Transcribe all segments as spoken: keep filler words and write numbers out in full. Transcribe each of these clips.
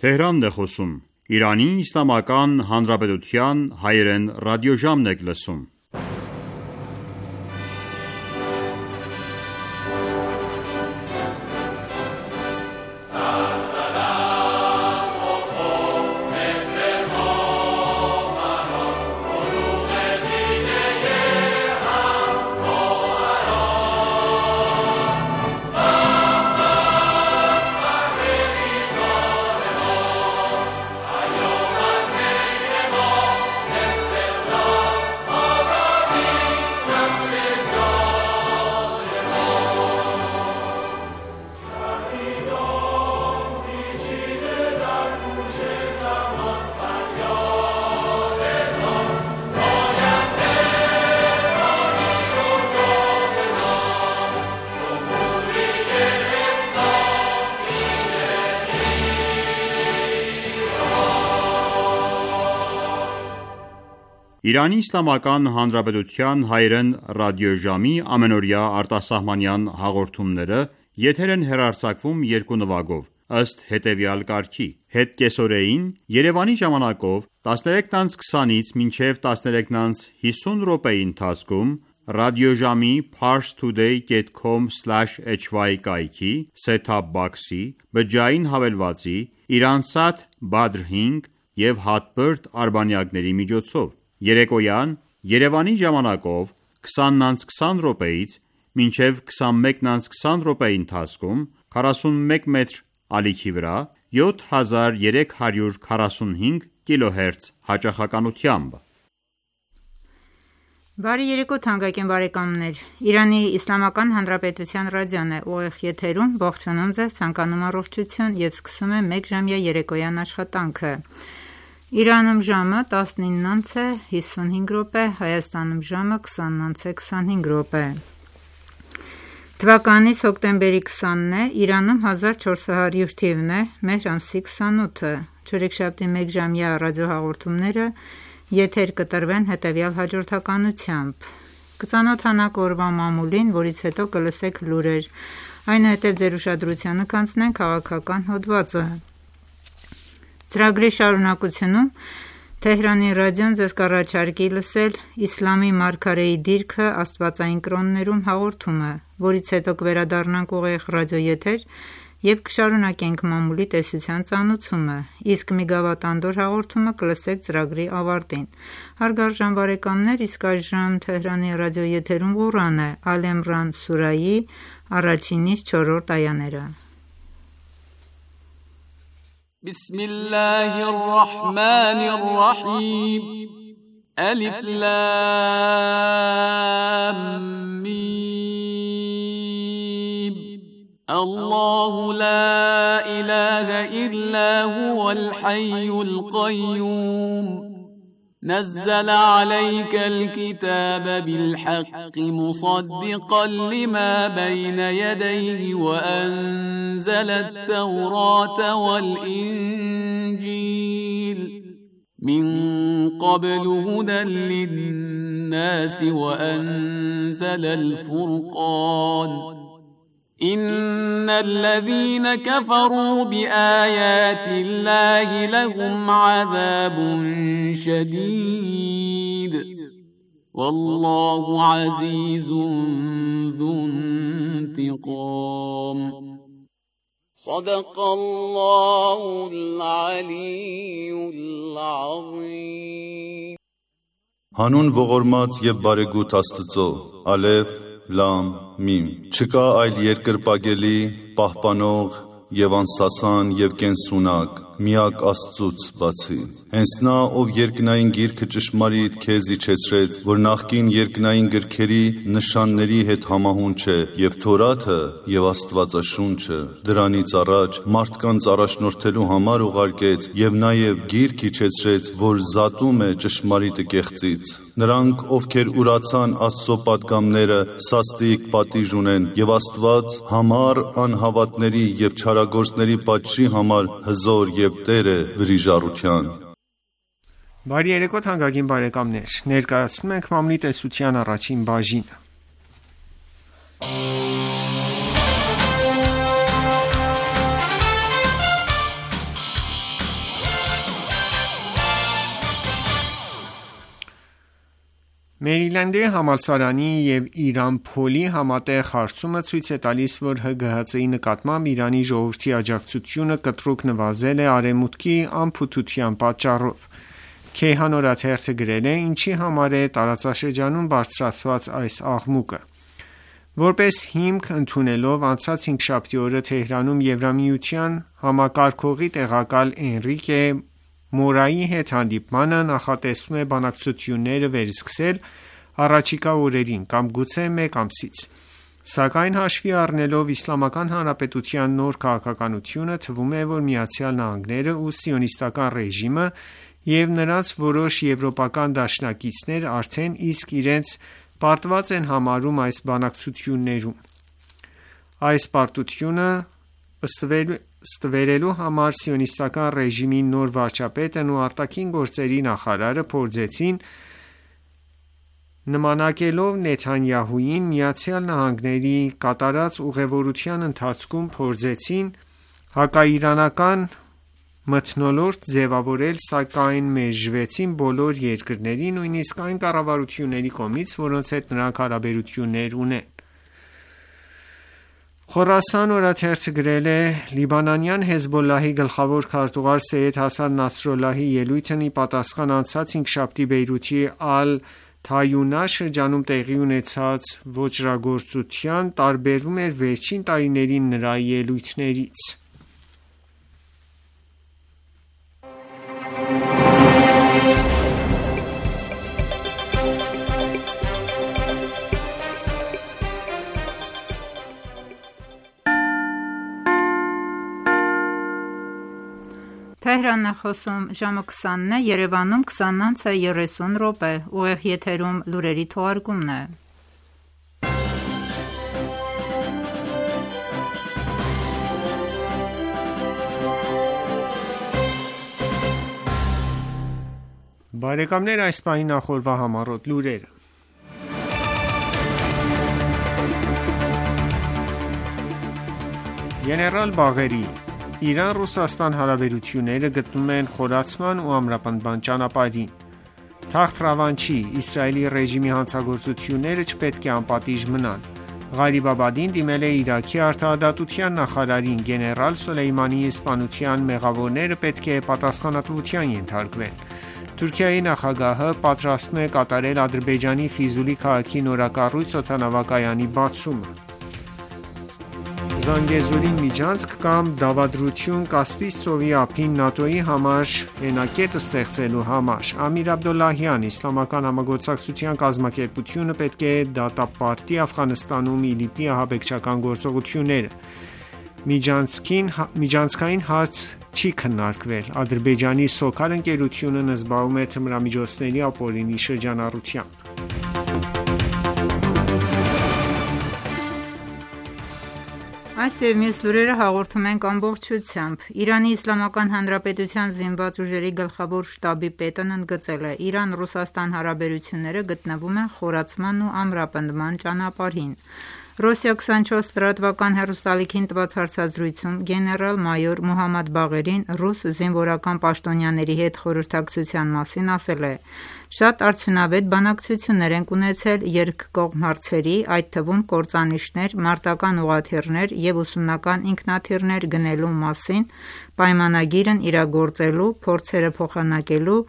Թեհրանն է խոսում։ Իրանի Իսլամական Հանրապետության հայերեն ռադիոժամն եք լսում։ Իրանի Իսլամական Հանրապետության հայերեն ռադիոժամի ամենօրյա արտասահմանյան հաղորդումները եթեր են հեռարձակվում երկու նվագով, ըստ հետևյալ կարգի. Հետկեսօրեին Երևանի ժամանակով տասներեքից քսանից մինչև տասներեքից հիսուն րոպեի ընթացքում ռադիոժամի parstoday dot com slash h y կայքի set-top box-ի, բջջային հավելվածի, Iransat Badr հինգ և Hotbird արբանյակների միջոցով։ Երեկոյան Երևանի ժամանակով քսանից քսան րոպեից մինչև քսանմեկից քսան րոպեի ընթացքում քառասունմեկ մետր ալիքի վրա յոթ հազար երեք հարյուր քառասունհինգ կիլոհերց հաճախականությամբ։ Բարի երեկո թանկագին բարեկամներ, Իրանի Իսլամական Հանրապետության ռադիոն է ուղիղ եթերում, ողջունում ձեզ, ցանկանում առողջություն և սկսում է մեկ ժամյա երեկոյան աշխատանքը։ Իրանում ժամը տասնինն անց է հիսունհինգ րոպե, Հայաստանում ժամը քսանն անց է քսանհինգ րոպե։ Թվականից հոկտեմբերի քսանն է, Իրանում հազար չորս հարյուր թիվն է, մեհր ամսի քսանութը։ Չորեքշաբթի մեկ ժամյա ռադիոհաղորդումները եթեր կտրվեն հետևյալ հաջորդականությամբ. Կծանոթանաք օրվա մամուլին, որից հետո կլսեք լուրեր, այնուհետև ձեր ուշադրությանը կանցնենք քաղաքական հոդվածը։ Ծրագրի շարունակությունում Թեհրանի ռադիոն ձեզ կառաջարկի լսել Իսլամի մարգարեի դիրքը աստվածային կրոններում հաղորդումը, որից հետո կվերադառնանք ուղիղ ռադիոեթեր և կշարունակենք մամուլի տեսության ծանուցումը, իսկ մի գավաթանդոր հաղորդումը կլսեք ծրագրի ավարտին։ Հարգարժան բարեկամներ, իսկ այժմ Թեհրանի ռադիոեթերում Ղուրան է, Ալ Իմրան սուրայի առաջինից չորրորդ այաները։ بسم الله الرحمن الرحيم ألف لام ميم الله لا إله إلا هو الحي القيوم نزل عليك الكتاب بالحق مصدقا لما بين يديه وأنزل التوراة والإنجيل من قبل هدى للناس وأنزل الفرقان إن الذين كفروا بآيات الله لهم عذاب شديد والله عزيز ذو انتقام صدق الله العلي العظيم Հանուն ողորմած և բարեգութ Աստծո, Ալեֆ, Լամ, Միմ։ Չկա այլ երկրպագելի, պահպանող և անսասան և կենսունակ, միակ Աստծուց բացի։ Հենց նա, ով երկնային գիրքը ճշմարիտ քեզ իջեցրեց, որ նախկին երկնային գրքերի նշանների հետ համահունչ է, և Թորաթը և Աստվածաշունչը, դրանից առաջ մարդկանց առաջնորդելու համար ուղարկեց, և նաև գիրք իջեցրեց, որ զատում է ճշմարիտը կեղծից։ Նրանք, ովքեր ուրացան Աստծո պատգամները, սաստիկ պատիժ ունեն, և Աստված համառ անհավատների և չարագործների պատժի համար հզոր և Տեր է վրիժառության։ Բարի երեկո թանկագին բարեկամներ, ներկայացնում ենք մամլի տեսության առաջին բաժինը։ Մերիլենդի համալսարանի և Իրան Փոլի համատեղ հարցումը ցույց է տալիս, որ Հ Գ Հ Ց-ի նկատմամբ Իրանի ժողովրդի աջակցությունը կտրուկ նվազել է Արևմուտքի անփութության պատճառով։ Քեյհան օրաթերթը գրել է. «Ինչի համար է տարածաշրջանում բարձրացված այս աղմուկը»։ Որպես հիմք ընդունելով անցած հինգշաբթի օրը Թեհրանում Եվրամիության համակարգողի տեղակալ Էնրիկե Մորայի հետ հանդիպմանը, նախատեսվում է բանակցությունները վերսկսել առաջիկա օրերին կամ գուցե մեկ ամսից։ Սակայն հաշվի առնելով Իսլամական Հանրապետության նոր քաղաքականությունը, թվում է, որ Միացյալ Նահանգները ու Սիոնիստական ռեժիմը և նրանց որոշ եվրոպական դաշնակիցներ արդեն իսկ իրենց պարտված են համարում այս բանակցություններում։ Այս պարտությունը ստվերելու համար Սիոնիստական ռեժիմի նոր վարչապետն ու արտաքին գործերի նախարարը փորձեցին, նմանակելով Նեթանյահուին, Միացյալ Նահանգների կատարած ուղևորության ընթացքում փորձեցին հակաիրանական մթնոլորտ ձևավորել, սակայն մերժվեցին բոլոր երկրների, նույնիսկ այն կառավարությունների կողմից, որոնց հետ նրանք հարաբերություններ ունեն։ Խորասան օրաթերթը գրել է. «Լիբանանյան Հեզբոլլահի գլխավոր քարտուղար Սեյեդ Հասան Նասրալլահի ելույթն ի պատասխան անցած հինգշաբթի Բեյրութի Ալ-Թայունա շրջանում տեղի ունեցած ոճրագործության տարբերվում էր վերջին տարիների նրա ելույթներից»։ Թեհրանն է խոսում ժամը քսանն է, Երևանում քսանն անց է երեսուն րոպե, ուղիղ եթերում լուրերի թողարկումն է։ Բարեկամներ, այս պահի նախորդ համառոտ լուրերը։ Գեներալ Բաղերի Իրան-Ռուսաստան հարաբերությունները գտնվում են խորացման ու ամրապնդման ճանապարհին։ Թախտ-Ռավանչի Իսրայելի ռեժիմի հանցագործությունները չպետք է անպատիժ մնան։ Ղարիբ Աբադին դիմել է Իրաքի արտահայտության նախարարին, գեներալ Սոլեյմանիի սպանության մեղավորները պետք է պատասխանատվության ենթարկվեն։ Թուրքիայի նախագահը պատրաստվում է կատարել Ադրբեջանի Ֆիզուլի քաղաքի նորակառույց օդանավակայանի բացումը։ Զանգեզուրի միջանցք կամ դավադրություն Կասպից ծովի ափին ՆԱՏՕ-ի համար հենակետ ստեղծելու համար։ Ամիր Աբդոլլահյան, Իսլամական համագործակցության կազմակերպությունը պետք է դատապարտի Աֆղանստանում ԻԼԻՊ-ի ահաբեկչական գործողությունները։ Միջանցքային հարց չի քննարկվել։ Ադրբեջանի Սոքար ընկերությունն զբաղվում է թմրամիջոցների ապօրինի շրջանառությամբ։ Այս և մյուս լուրերը հաղորդում ենք ամբողջությամբ։ Իրանի Իսլամական Հանրապետության զինված ուժերի գլխավոր շտաբի պետն ընդգծել է. Իրան-Ռուսաստան հարաբերությունները գտնվում են խորացման ու ամրապնդման ճանապարհին։ Ռոսիա քսանչորս լրատվական հեռուստաալիքին տված հարցազրույցում գեներալ-մայոր Մոհամմադ Բաղերին ռուս զինվորական պաշտոնյաների հետ խորհրդակցության մասին ասել է. «Շատ արդյունավետ բանակցություններ ենք ունեցել երկկողմ հարցերի, այդ թվում կործանիչներ, մարտական ուղղաթիռներ և ուսումնական ինքնաթիռներ գնելու մասին, պայմանագիրն իրագործելու, փորձերը փոխանակելու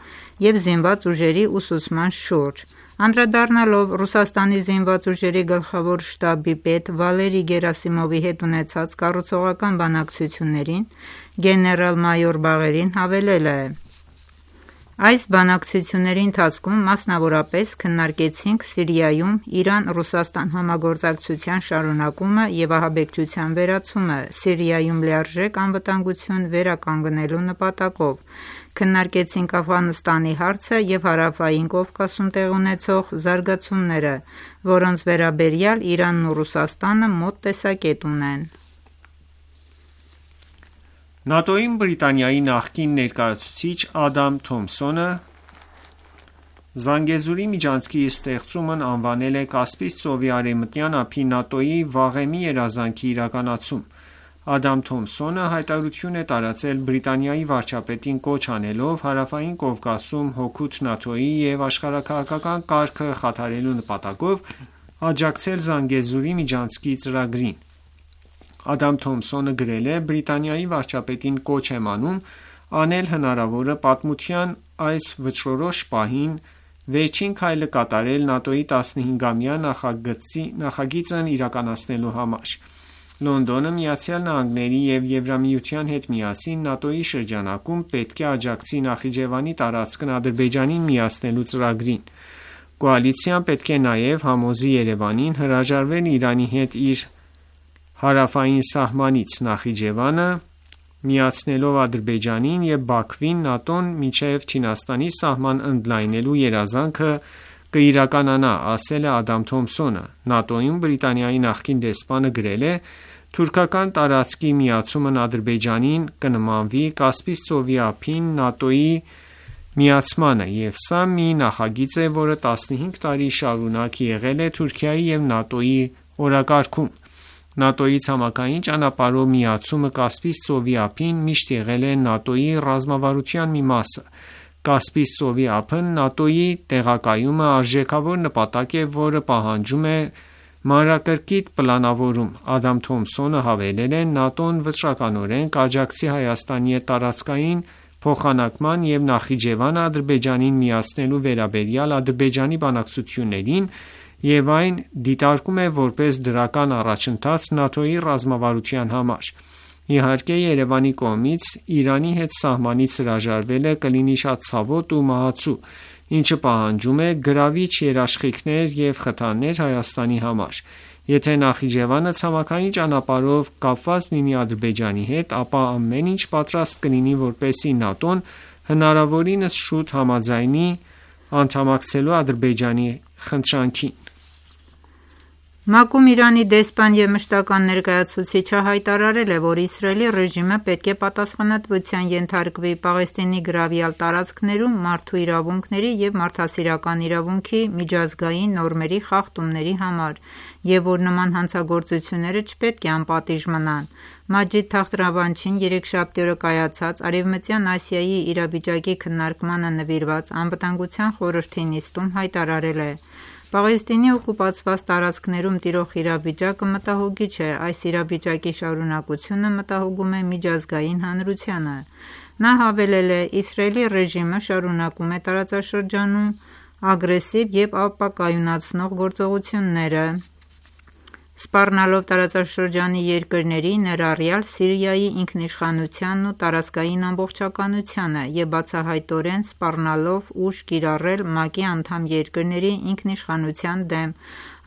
և զինված ուժերի ուսուցման շուրջ»։ Անդրադառնալով Ռուսաստանի զինված ուժերի գլխավոր շտաբի պետ Վալերի Գերասիմովի հետ ունեցած կառուցողական բանակցություններին, գեներալ-մայոր Բաղերին հավելել է. «Այս բանակցությունների ընթացքում մասնավորապես քննարկեցինք Սիրիայում Իրան-Ռուսաստան համագործակցության շարունակումը և ահաբեկչության վերացումը Սիրիայում լիարժեք անվտանգություն վերականգնելու նպատակով, քննարկեցինք Աֆղանստանի հարցը և Հարավային Կովկասում տեղի ունեցող զարգացումները, որոնց վերաբերյալ Իրանն ու Ռուսաստանը մոտ տեսակետ ունեն»։ ՆԱՏՕ-ին Բրիտանիայի նախկին ներկայացուցիչ Ադամ Թոմփսոնը Զանգեզուրի միջանցքի ստեղծումն անվանել է Կասպից ծովի արևմտյան ափի ՆԱՏՕ-ի վաղեմի երազանքի իրականացում։ Ադամ Թոմսոնը հայտարարություն է տարածել Բրիտանիայի վարչապետին կոչ անելով Հարավային Կովկասում հօգուտ ՆԱՏՕ-ի և աշխարհաքաղաքական կարգը խաթարելու նպատակով աջակցել Զանգեզուրի միջանցքի ծրագրին: Ադամ Թոմսոնը գրել է. «Բրիտանիայի վարչապետին կոչ եմ անում անել հնարավորը պատմության այս վճռորոշ պահին վերջին քայլը կատարել ՆԱՏՕ-ի տասնհինգամյա նախագիծն իրականացնելու համար: Լոնդոնը Միացյալ Նահանգների և Եվրամիության հետ միասին ՆԱՏՕ-ի շրջանակում պետք է աջակցի Նախիջևանի տարածքն Ադրբեջանին միացնելու ծրագրին: Կոալիցիան պետք է նաև համոզի Երևանին հրաժարվել Իրանի հետ իր հարավային սահմանից: Նախիջևանը միացնելով Ադրբեջանին և Բաքվին ՆԱՏՕ-ն մինչև Չինաստանի սահման ընդլայնելու երազանքը կիրականանա», ասել է Ադամ Թոմսոնը: ՆԱՏՕ-ում Բրիտանիայի նախկին դեսպանը գրել է. «Թուրքական տարածքի միացումն Ադրբեջանին կնմանվի Կասպից ծովի ափին ՆԱՏՕ-ի միացմանը և սա մի նախագիծ է, որը տասնհինգ տարի շարունակ եղել է Թուրքիայի և ՆԱՏՕ-ի օրակարգում: ՆԱՏՕ-ի ցամաքային ճանապարհով միացումը Կասպից ծովի ափին միշտ եղել է ՆԱՏՕ-ի ռազմավարության մի մասը: Կասպից ծովի ափն ՆԱՏՕ-ի տեղակայումը արժեքավոր նպատակ է, որը պահանջում է մանրակրկիտ պլանավորում»: Ադամ Թոմսոնը հավելել է. «ՆԱՏՕ-ն վճռականորեն կաջակցի Հայաստանի հետ տարածքային փոխանակման և Նախիջևանը Ադրբեջանին միացնելու վերաբերյալ Ադրբեջանի բանակցություններին և այն դիտարկում է որպես դրական առաջընթաց ՆԱՏՕ-ի ռազմավարության համար: Իհարկե Երևանի կողմից Իրանի հետ սահմանից հրաժարվելը կլինի շատ ցավոտ ու մահացու, ինչը պահանջում է գրավիչ երաշխիքներ և խթաններ Հայաստանի համար: Եթե Նախիջևանը ցամաքային ճանապարհով կապված լինի Ադրբեջանի հետ, ապա ամեն ինչ պատրաստ կլինի, որպեսզի ՆԱՏՕ-ն հնարավորինս շուտ համաձայնի անդամակցելու Ադրբեջանի խնդրանքին»: ՄԱԿ-ում Իրանի դեսպան և մշտական ներկայացուցիչը հայտարարել է, որ Իսրայելի ռեժիմը պետք է պատասխանատվության ենթարկվի Պաղեստինի գրավյալ տարածքներում մարդու իրավունքների և մարդասիրական իրավունքի միջազգային նորմերի խախտումների համար և որ նման հանցագործությունները չպետք է անպատիժ մնան: Մաջիդ Թախտ Ռավանչին երեքշաբթի օրը կայացած Արևմտյան Ասիայի իրավիճակի քննարկմանը նվիրված Անվտանգության խորհրդի նիստում հայտարարել է. «Պաղեստինի օկուպացված տարածքներում տիրող իրավիճակը մտահոգիչ է: Այս իրավիճակի շարունակությունը մտահոգում է միջազգային հանրությանը»: Նա հավելել է. «Իսրայելի ռեժիմը շարունակում է տարածաշրջանում ագրեսիվ և ապակայունացնող գործողությունները, սպառնալով տարածաշրջանի երկրների, ներառյալ Սիրիայի ինքնիշխանությանն ու տարածքային ամբողջականությանը և բացահայտորեն սպառնալով ուժ կիրառել ՄԱԿ-ի անդամ երկրների ինքնիշխանության դեմ»: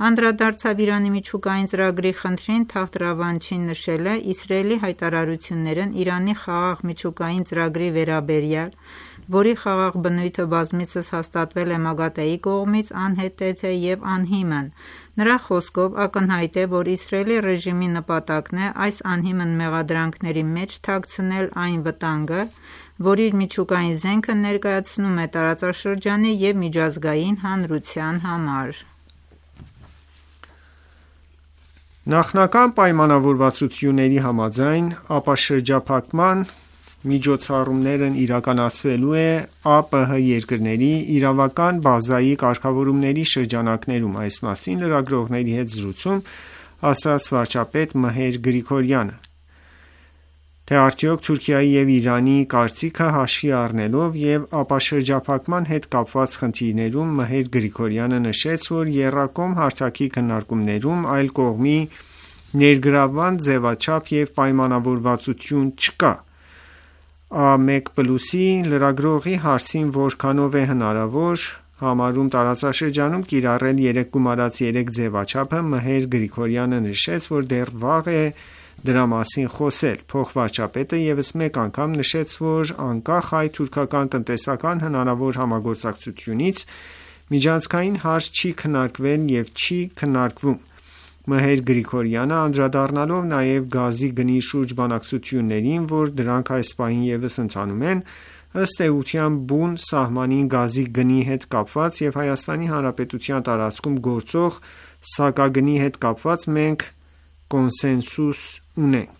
Անդրադարձավ Իրանի միջուկային ծրագրի խնդրին, Թախտ Ռավանչին նշել է. «Իսրայելի հայտարարություններն Իրանի խաղաղ միջուկային ծրագրի վերաբերյալ, որի խաղաղ բնույթը բազմիցս հաստատվել է ՄԱԳԱՏԷ-ի կողմից, անհետեթ է և անհիմն»: Նրա խոսքով ակնհայտ է, որ Իսրայելի ռեժիմի նպատակն է այս անհիմն մեղադրանքների մեջ թաքցնել այն վտանգը, որ իր միջուկային զենքը ներկայացնում է տարածաշրջանի և միջազգային հանրության համար: Նախնական պայմանավորվածությունների համաձայն ապաշրջափակման միջոցառումներն իրականացվելու է ԱՊՀ երկրների իրավական բազայի կարգավորումների շրջանակներում: Այս մասին լրագրողների հետ զրույցում ասաց վարչապետ Մհեր Գրիգորյանը: Թե արդյոք Թուրքիայի և Իրանի կարծիքը հաշվի առնելով և ապաշրջափակման հետ կապված խնդիրներում Մհեր Գրիգորյանը նշեց, որ եռակողմ հարթակի քննարկումներում այլ կողմի ներգրավման ձևաչափ և պայմանավորվածություն չկա: Ա մեկ պլյուսի լրագրողի հարցին որքանով է հնարավոր համարում տարածաշրջանում կիրառել երեկ գումարած երեք ձևաչափը, Մհեր Գրիգորյանը նշեց, որ դեռ վաղ է դրա մասին խոսել: Փոխվարչապետը ևս մեկ անգամ նշեց, որ անկախ հայ-թուրքական տնտեսական հնարավոր համագործակցությունից միջանցքային հարց չի քննարկվել և չի քննարկվում: Մհեր Գրիգորյանը անդրադառնալով նաև գազի գնի շուրջ բանակցություններին, որ դրանք այս պահին ևս ընթանում են, ըստ էության բուն սահմանին գազի գնի հետ կապված և Հայաստանի Հանրապետության տարածքում գործող սակագնի հետ կապված մենք կոնսենսուս ունենք: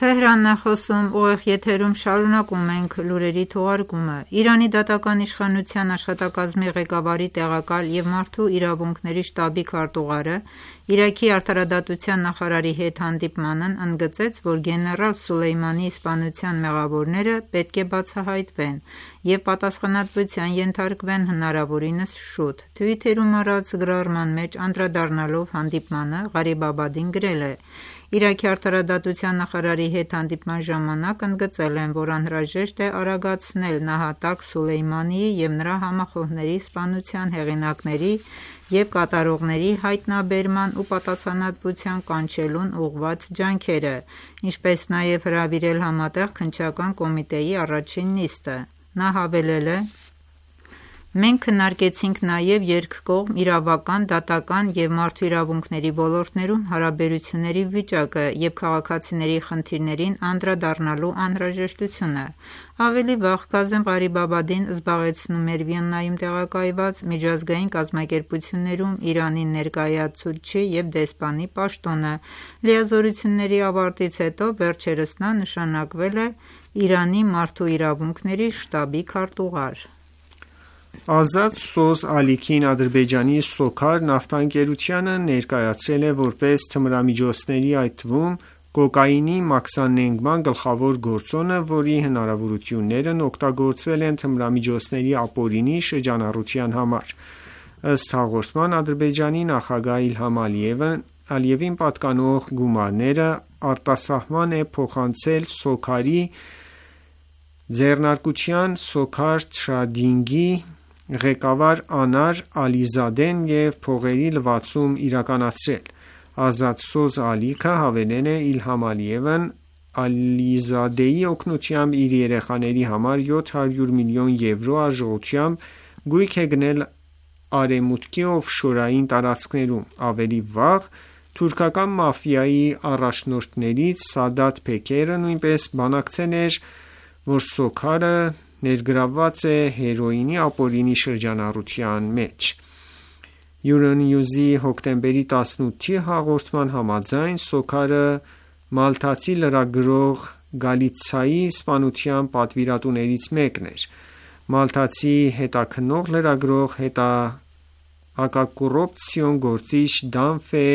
Թեհրանն է խոսում, ուղիղ եթերում շարունակում ենք լուրերի թողարկումը։ Իրանի դատական իշխանության աշխատակազմի ղեկավարի տեղակալ և մարդու իրավունքների շտաբի քարտուղարը Իրաքի արդարադատության նախարարի հետ հանդիպմանն ընդգծեց, որ գեներալ Սուլեյմանիի սպանության մեղավորները պետք է բացահայտվեն և պատասխանատվության ենթարկվեն հնարավորինս շուտ։ Թվիթերում արած գրառման մեջ անդրադառնալով հանդիպմանը, Ղարիբաբադին գրել է. «Իրաքի արդարադատության նախարարի հետ հանդիպման ժամանակ ընդգծել եմ, որ անհրաժեշտ է արագացնել նահատակ Սուլեյմանիի և նրա համախոհների սպանության հեղինակների և կատարողների հայտնաբերման ու պատասխանատվության կանչելուն ուղղված ջանքերը, ինչպես նաև հրավիրել Համատեղ քննչական կոմիտեի առաջին նիստը»։ Նա հավելել է. «Մենք քննարկեցինք նաև երկկողմ իրավական, դատական և մարդու իրավունքների ոլորտներում հարաբերությունների վիճակը և քաղաքացիների խնդիրներին անդրադառնալու անհրաժեշտությունը»։ Ավելի վաղ Քազեմ Ղարիբաբադին զբաղեցնում էր Վիեննայում տեղակայված միջազգային կազմակերպություններում Իրանի ներկայացուցչի և դեսպանի պաշտոնը։ Լիազորությունների ավարտից հետո վերջերս նա նշանակվել է Իրանի մարդու իրավունքների շտաբի քարտուղար։ Ազատ Սոզ Ալիքին Ադրբեջանի Սոքար նավթաընկերությանը ներկայացրել է որպես թմրամիջոցների, այդ թվում կոկաինի մաքսանենգման գլխավոր գործոնը, որի հնարավորություններն օգտագործվել են թմրամիջոցների ապօրինի շրջանառության համար։ Ըստ հաղորդման, Ադրբեջանի նախագահ Իլհամ Ալիևին պատկանող գումարները արտասահման է փոխանցել Սոքարի ձեռնարկության Սոքար Թրեյդինգի ղեկավար Անար Ալիզադեն և փողերի լվացում իրականացրել։ Ազատ Սոզ Ալիքը հավելել է Իլհամ Ալիևն Ալիզադեի օգնությամբ իր երեխաների համար յոթ հարյուր միլիոն եվրո արժողությամբ գույք է գնել Արևմուտքի օֆշորային տարածքներում։ Ավելի վաղ թուրքական մաֆիայի առաջնորդներից Սադաթ Փեքերը նույնպես բանակցել էր, որ Սոքարը ներգրավված է հերոինի ապօրինի շրջանառության մեջ։ Euronews-ի հոկտեմբերի տասնութի հաղորդման համաձայն Սոքարը մալթացի լրագրող Գալիցայի սպանության պատվիրատուներից մեկն էր։ Մալթացի հետաքննող լրագրող հակակոռուպցիոն գործիչ Դանֆե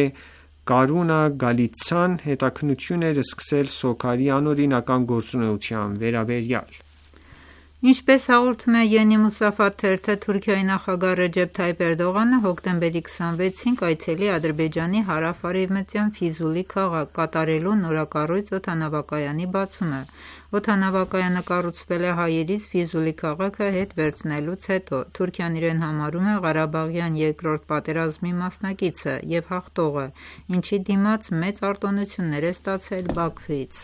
Կարունա Գալիցան հետաքննություն էր սկսել Սոքարի անօրինական գործունեության վերաբերյալ։ Ինչպես հաղորդում է Yeni Musafat թերթը, Թուրքիայի նախագահ Ռեջեփ Թայիփ Էրդողանը հոկտեմբերի քսանվեցին կայցելի Ադրբեջանի հարավ-արևմտյան Ֆիզուլի քաղաք՝ կատարելու նորակառույց օդանավակայանի բացումը։ Օդանավակայանը կառուցվել է հայերից Ֆիզուլի քաղաքը հետ վերցնելուց հետո։ Թուրքիան իրեն համարում է Ղարաբաղյան երկրորդ պատերազմի մասնակիցը և հաղթողը, ինչի դիմաց մեծ արտոնություններ է ստացել Բաքվից։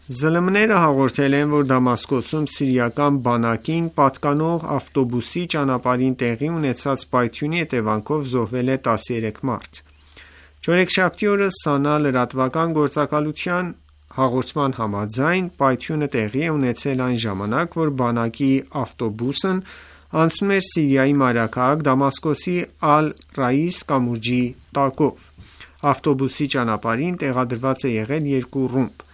ԶԼՄ-ները հաղորդել են, որ Դամասկոսում սիրիական բանակին պատկանող ավտոբուսի ճանապարհին տեղի ունեցած պայթյունի հետևանքով զոհվել է տասներեք մարդ։ Չորեքշաբթի օրը ՍԱՆԱ լրատվական գործակալության հաղորդման համաձայն պայթյունը տեղի է ունեցել այն ժամանակ, որ բանակի ավտոբուսն անցնում էր Սիրիայի մայրաքաղաք Դամասկոսի Ալ-Ռաիս կամուրջի տակով։ Ավտոբուսի ճանապարհին տեղադրված է եղել երկու ռումբ։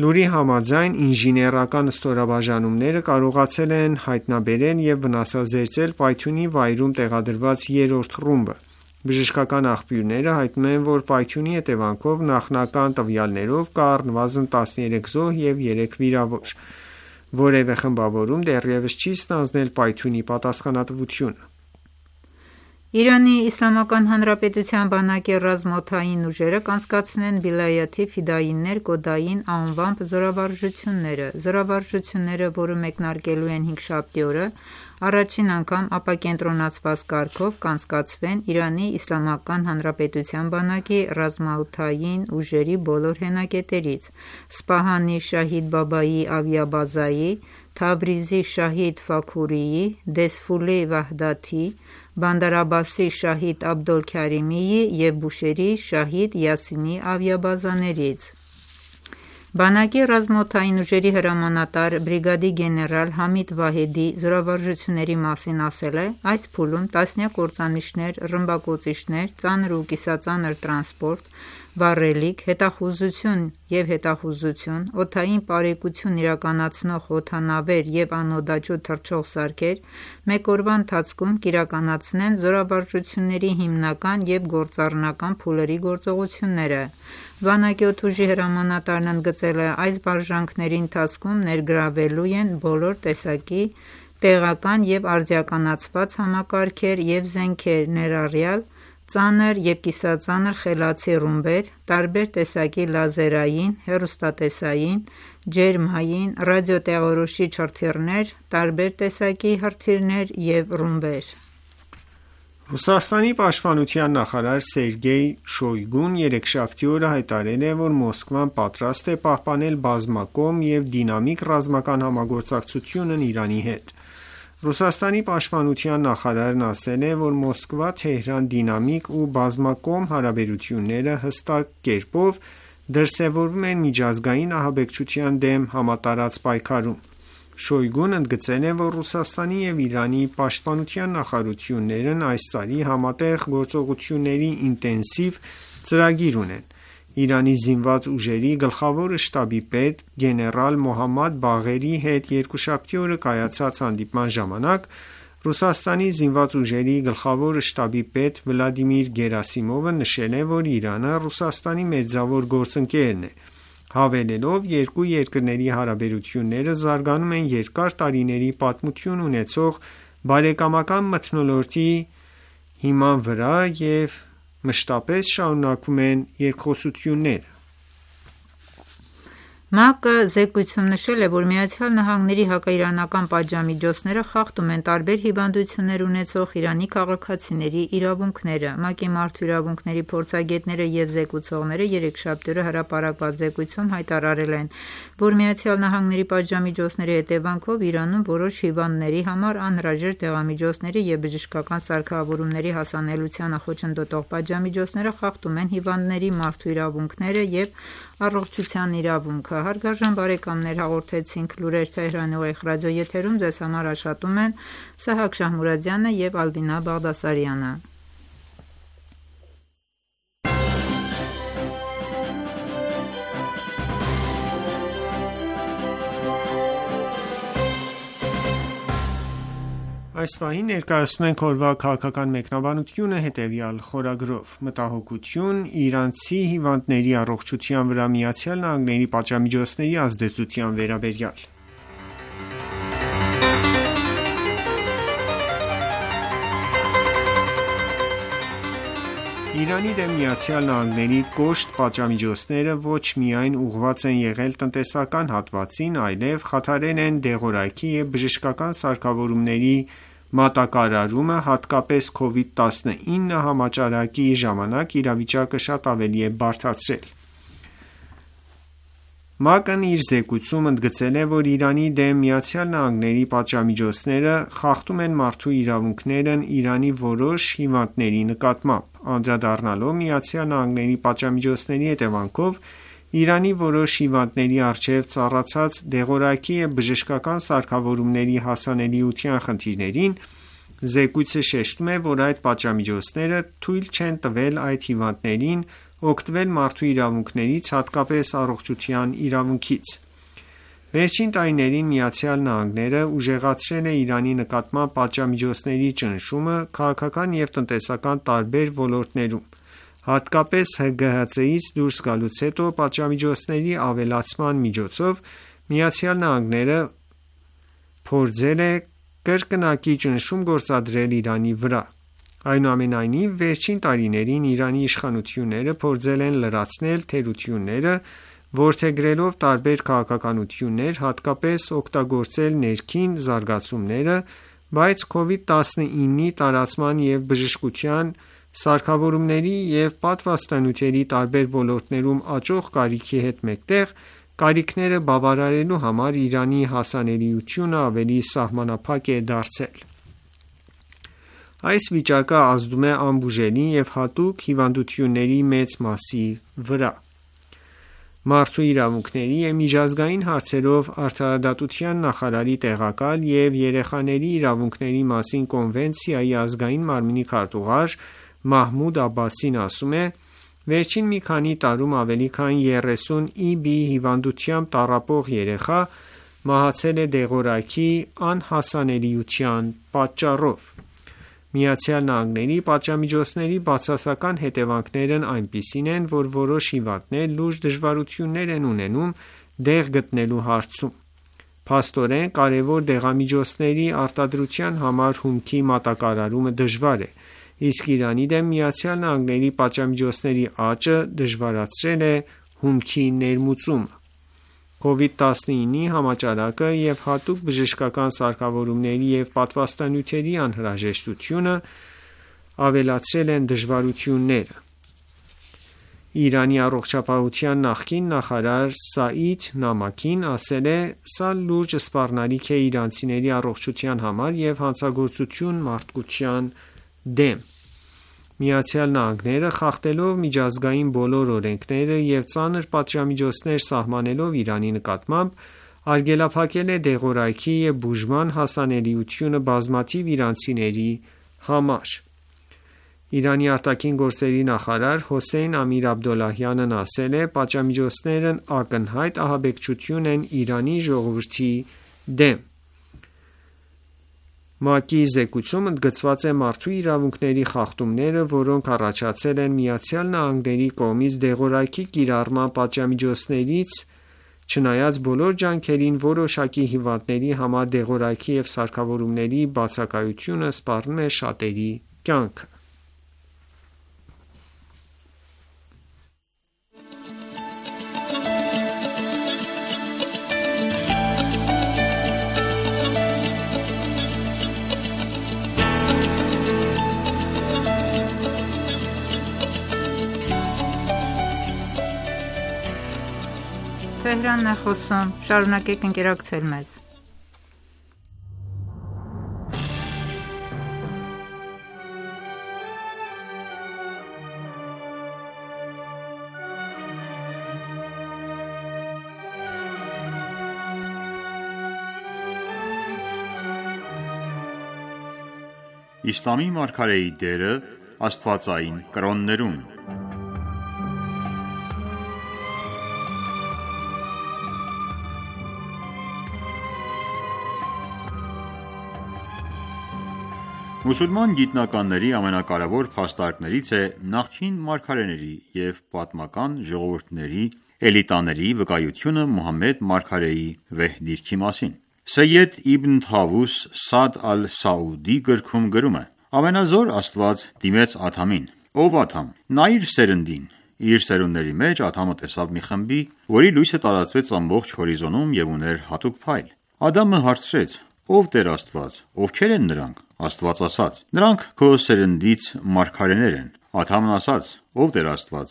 Լուրի համաձայն ինժեներական ստորաբաժանումները կարողացել են հայտնաբերել և վնասազերծել պայթյունի վայրում տեղադրված երրորդ ռումբը։ Բժշկական աղբյուրները հայտնում են, որ պայթյունի հետևանքով նախնական տվյալներով կա առնվազն տասներեք զոհ և երեք վիրավոր։ Որևէ խմբավորում դեռևս չի ստանձնել պայթյունի պատասխանատվությունը։ Իրանի Իսլամական Հանրապետության բանակի ռազմաօդային ուժերը կանցկացնեն Վիլայաթի Ֆիդայիններ կոդային անվամբ զորավարժությունները։ Զորավարժությունները, որը մեկնարկելու են հինգշաբթի օրը, առաջին անգամ ապակենտրոնացված կարգով կանցկացվեն Իրանի Իսլամական Հանրապետության բանակի ռազմաօդային ուժերի բոլոր հենակետերից՝ Սպահանի Շահիդ Բաբայի ավիաբազայի, Թավրիզի Շահիդ Ֆաքուրիի, Դեսֆուլի Վահդաթի, Բանդար Աբասի Շահիդ Աբդոլ Քարիմիի և Բուշեհրի Շահիդ Յասինի ավիաբազաներից։ Բանակի ռազմաօդային ուժերի հրամանատար բրիգադի գեներալ Համիդ Վահեդի զորավարժությունների մասին ասել է. «Այս փուլում տասնյակ կործանիչներ, ռմբակոծիչներ, ծանր ու կիսածանր տրանսպորտ, վառելիք, հետախուզություն և հետախուզություն, օդային պարեկություն իրականացնող օդանավեր և անօդաչու թռչող սարքեր մեկ օրվա ընթացքում կիրականացնեն զորավարժությունների հիմնական և գործառնական փուլերի գործողությունները»։ Բանակի օդուժի հրամանատարն ընդգծել է. «Այս վարժանքների ընթացքում ներգրավվելու են բոլոր տեսակի տեղական և արդիականացված համակարգեր և զենքեր, ներառյալ ծանր և կիսածանր խելացի ռումբեր, տարբեր տեսակի լազերային, հեռուստատեսային, ջերմային, ռադիոտեղորոշիչ հրթիռներ, տարբեր տեսակի հրթիռներ և ռումբեր»։ Ռուսաստանի պաշտպանության նախարար Սերգեյ Շոյգուն երեքշաբթի օրը հայտարարել է, որ Մոսկվան պատրաստ է պահպանել բազմակողմ և դինամիկ ռազմական համագործակցությունն Իրանի հետ։ Ռուսաստանի պաշտպանության նախարարն ասել է, որ Մոսկվա-Թեհրան դինամիկ ու բազմակողմ հարաբերությունները հստակ կերպով դրսևորվում են միջազգային ահաբեկչության դեմ համատարած պայքարում։ Շոյգուն ընդգծել է, որ Ռուսաստանի և Իրանի պաշտպանության նախարարություններն այս տարի համատեղ գործողությունների ինտենսիվ ծրագիր ունեն։ Իրանի զինված ուժերի գլխավոր շտաբի պետ գեներալ Մոհամմադ Բաղերի հետ երկուշաբթի օրը կայացած հանդիպման ժամանակ Ռուսաստանի զինված ուժերի գլխավոր շտաբի պետ Վլադիմիր Գերասիմովը նշել է, որ Իրանը Ռուսաստանի մերձավոր գործընկերն է, հավելելով. «Երկու երկրների հարաբերությունները զարգանում են երկար տարիների պատմություն ունեցող բարեկամական մթնոլորտի հիման վրա և մշտապես շարունակվում են երկխոսությունները»։ ՄԱԿ-ը զեկույցում նշել է, որ ԱՄՆ-ի հակաիրանական պատժամիջոցները խախտում են տարբեր հիվանդություններ ունեցող Իրանի քաղաքացիների իրավունքները։ ՄԱԿ-ի մարդու իրավունքների փորձագետները և զեկուցողները երեքշաբթի օրը հրապարակված զեկույցում հայտարարել են, որ ԱՄՆ-ի պատժամիջոցների հետևանքով Իրանում որոշ հիվանդների համար անհրաժեշտ դեղամիջոցների և բժշկական սարքավորումների հասանելիությանը խոչընդոտող պատժամիջոցները խախտում են հիվանդների մարդու իրավունքները և առողջության իրավունքը։ Հարգարժան բարեկամներ, հաղորդեցինք լուրեր Թեհրանի ուղիղ ռադիոեթերում, ձեզ համար աշխատում են Սահակ Շահմուրադյանը և Ալբինա Բաղդասարյանը։ Այս պահին ներկայացնում ենք օրվա քաղաքական մեկնաբանությունը հետևյալ խորագրով. Մտահոգություն իրանցի հիվանդների առողջության վրա ԱՄՆ-ի պատժամիջոցների ազդեցության վերաբերյալ։ Իրանի դեմ ԱՄՆ-ի կոշտ պատժամիջոցները ոչ միայն ուղղված են եղել տնտեսական հատվածին, այլև խաթարել են դեղորայքի և բժշկական սարքավորումների մատակարարումը, հատկապես քովիդ տասնինը համաճարակի ժամանակ իրավիճակը շատ ավելի է բարդացրել։ ՄԱԿ-ն իր զեկույցում ընդգծել է, որ Իրանի դեմ ԱՄՆ-ի պատժամիջոցները խախտում են մարդու իրավունքներն Իրանի որոշ հիվանդների նկատմամբ։ Անդրադառնալով ԱՄՆ-ի պատժամիջոցների հետևանքով Իրանի որոշ հիվանդների առջև ծառացած դեղորայքի և բժշկական սարքավորումների հասանելիության խնդիրներին, զեկույցը շեշտում է, որ այդ պատժամիջոցները թույլ չեն տվել այդ հիվանդներին օգտվել մարդու իրավունքներից, հատկապես առողջության իրավունքից։ Վերջին տարիներին ԱՄՆ-ն ուժեղացրել է Իրանի նկատմամբ պատժամիջոցների ճնշումը քաղաքական և տնտեսական տարբեր ոլորտներում։ Հատկապես ՀԳՀԾ-ից դուրս գալուց հետո պատժամիջոցների ավելացման միջոցով ԱՄՆ-ն փորձել է կրկնակի ճնշում գործադրել Իրանի վրա։ Այնուամենայնիվ, վերջին տարիներին Իրանի իշխանությունները փորձել են լրացնել թերությունները, որդեգրելով տարբեր քաղաքականություններ, հատկապես օգտագործել ներքին զարգացումները, բայց քովիդ տասնինի տարածման և բժշկության սարքավորումների և պատվաստանյութերի տարբեր ոլորտներում աճող կարիքի հետ մեկտեղ կարիքները բավարարելու համար Իրանի հասանելիությունը ավելի սահմանափակ է դարձել։ Այս վիճակը ազդում է անբուժելի և հատուկ հիվանդությունների մեծ մասի վրա։ Մարդու իրավունքների և միջազգային հարցերով արդարադատության նախարարի տեղակալ և երեխաների իրավունքների մասին կոնվենցիայի ազգային մարմնի քարտուղար Մահմուդ Աբբասին ասում է. «Վերջին մի քանի տարում ավելի քան երեսուն ի բի հիվանդությամբ տառապող երեխա մահացել է դեղորայքի անհասանելիության պատճառով»։ ԱՄՆ-ի պատժամիջոցների բացասական հետևանքներն այնպիսին են, որ որոշ հիվանդներ լուրջ դժվարություններ են ունենում դեղ գտնելու հարցում։ Փաստորեն, կարևոր դեղամիջոցների արտադրության համար հումքի մատակարարումը դժվար է, իսկ Իրանի դեմ ԱՄՆ-ի պատժամիջոցների աճը դժվարացրել է հումքի ներմուծումը։ քովիդ տասնինը համաճարակը և հատուկ բժշկական սարքավորումների և պատվաստանյութերի անհրաժեշտությունը ավելացրել են դժվարությունները։ Իրանի առողջապահության նախկին նախարար Սաիդ Նամաքին ասել է. «Սա լուրջ սպառնալիք է իրանցիների առողջության համար և հանցագործություն մարդկության դեմ»։ ԱՄՆ-ը, խախտելով միջազգային բոլոր օրենքները և ծանր պատժամիջոցներ սահմանելով Իրանի նկատմամբ, արգելափակել է դեղորայքի և բուժման հասանելիությունը բազմաթիվ իրանցիների համար։ Իրանի արտաքին գործերի նախարար Հոսեյն Ամիր-Աբդոլլահյանն ասել է. «Պատժամիջոցներն ակնհայտ ահաբեկչություն են Իրանի ժողովրդի դեմ»։ ՄԱԿ-ի զեկույցում ընդգծված է մարդու իրավունքների խախտումները, որոնք առաջացել են ԱՄՆ-ի կողմից դեղորայքի կիրառման պատժամիջոցներից, չնայած բոլոր ջանքերին, որոշակի հիվանդների համար դեղորայքի և սարքավորումների բացակայությունը սպառնում է շատերի կյանքը։ Իսլամի մարգարեի դերը աստվածային կրոններում։ Մուսուլման գիտնականների ամենակարևոր փաստարկներից է նախկին մարգարեների և պատմական ժողովուրդների էլիտաների վկայությունը Մուհամմեդ մարգարեի վեհ դիրքի մասին։ Սեյեդ Իբն Թավուս Սադ ալ-Սաուդի գրքում գրում է. «Ամենազոր Աստված դիմեց Ադամին. «Ով Ադամ, նայիր սերնդին»։ Իր սերունդների մեջ Ադամը տեսավ մի խմբի, որի լույսը տարածվեց ամբողջ հորիզոնում և ուներ հատուկ փայլ։ Ադամը հարցրեց. «Ով Տեր Աստված, ովքեր են նրանք»։ Աստված ասաց. «Նրանք քո սերնդից մարգարեներ են»։ Ադամն ասաց. «Ով Տեր Աստված,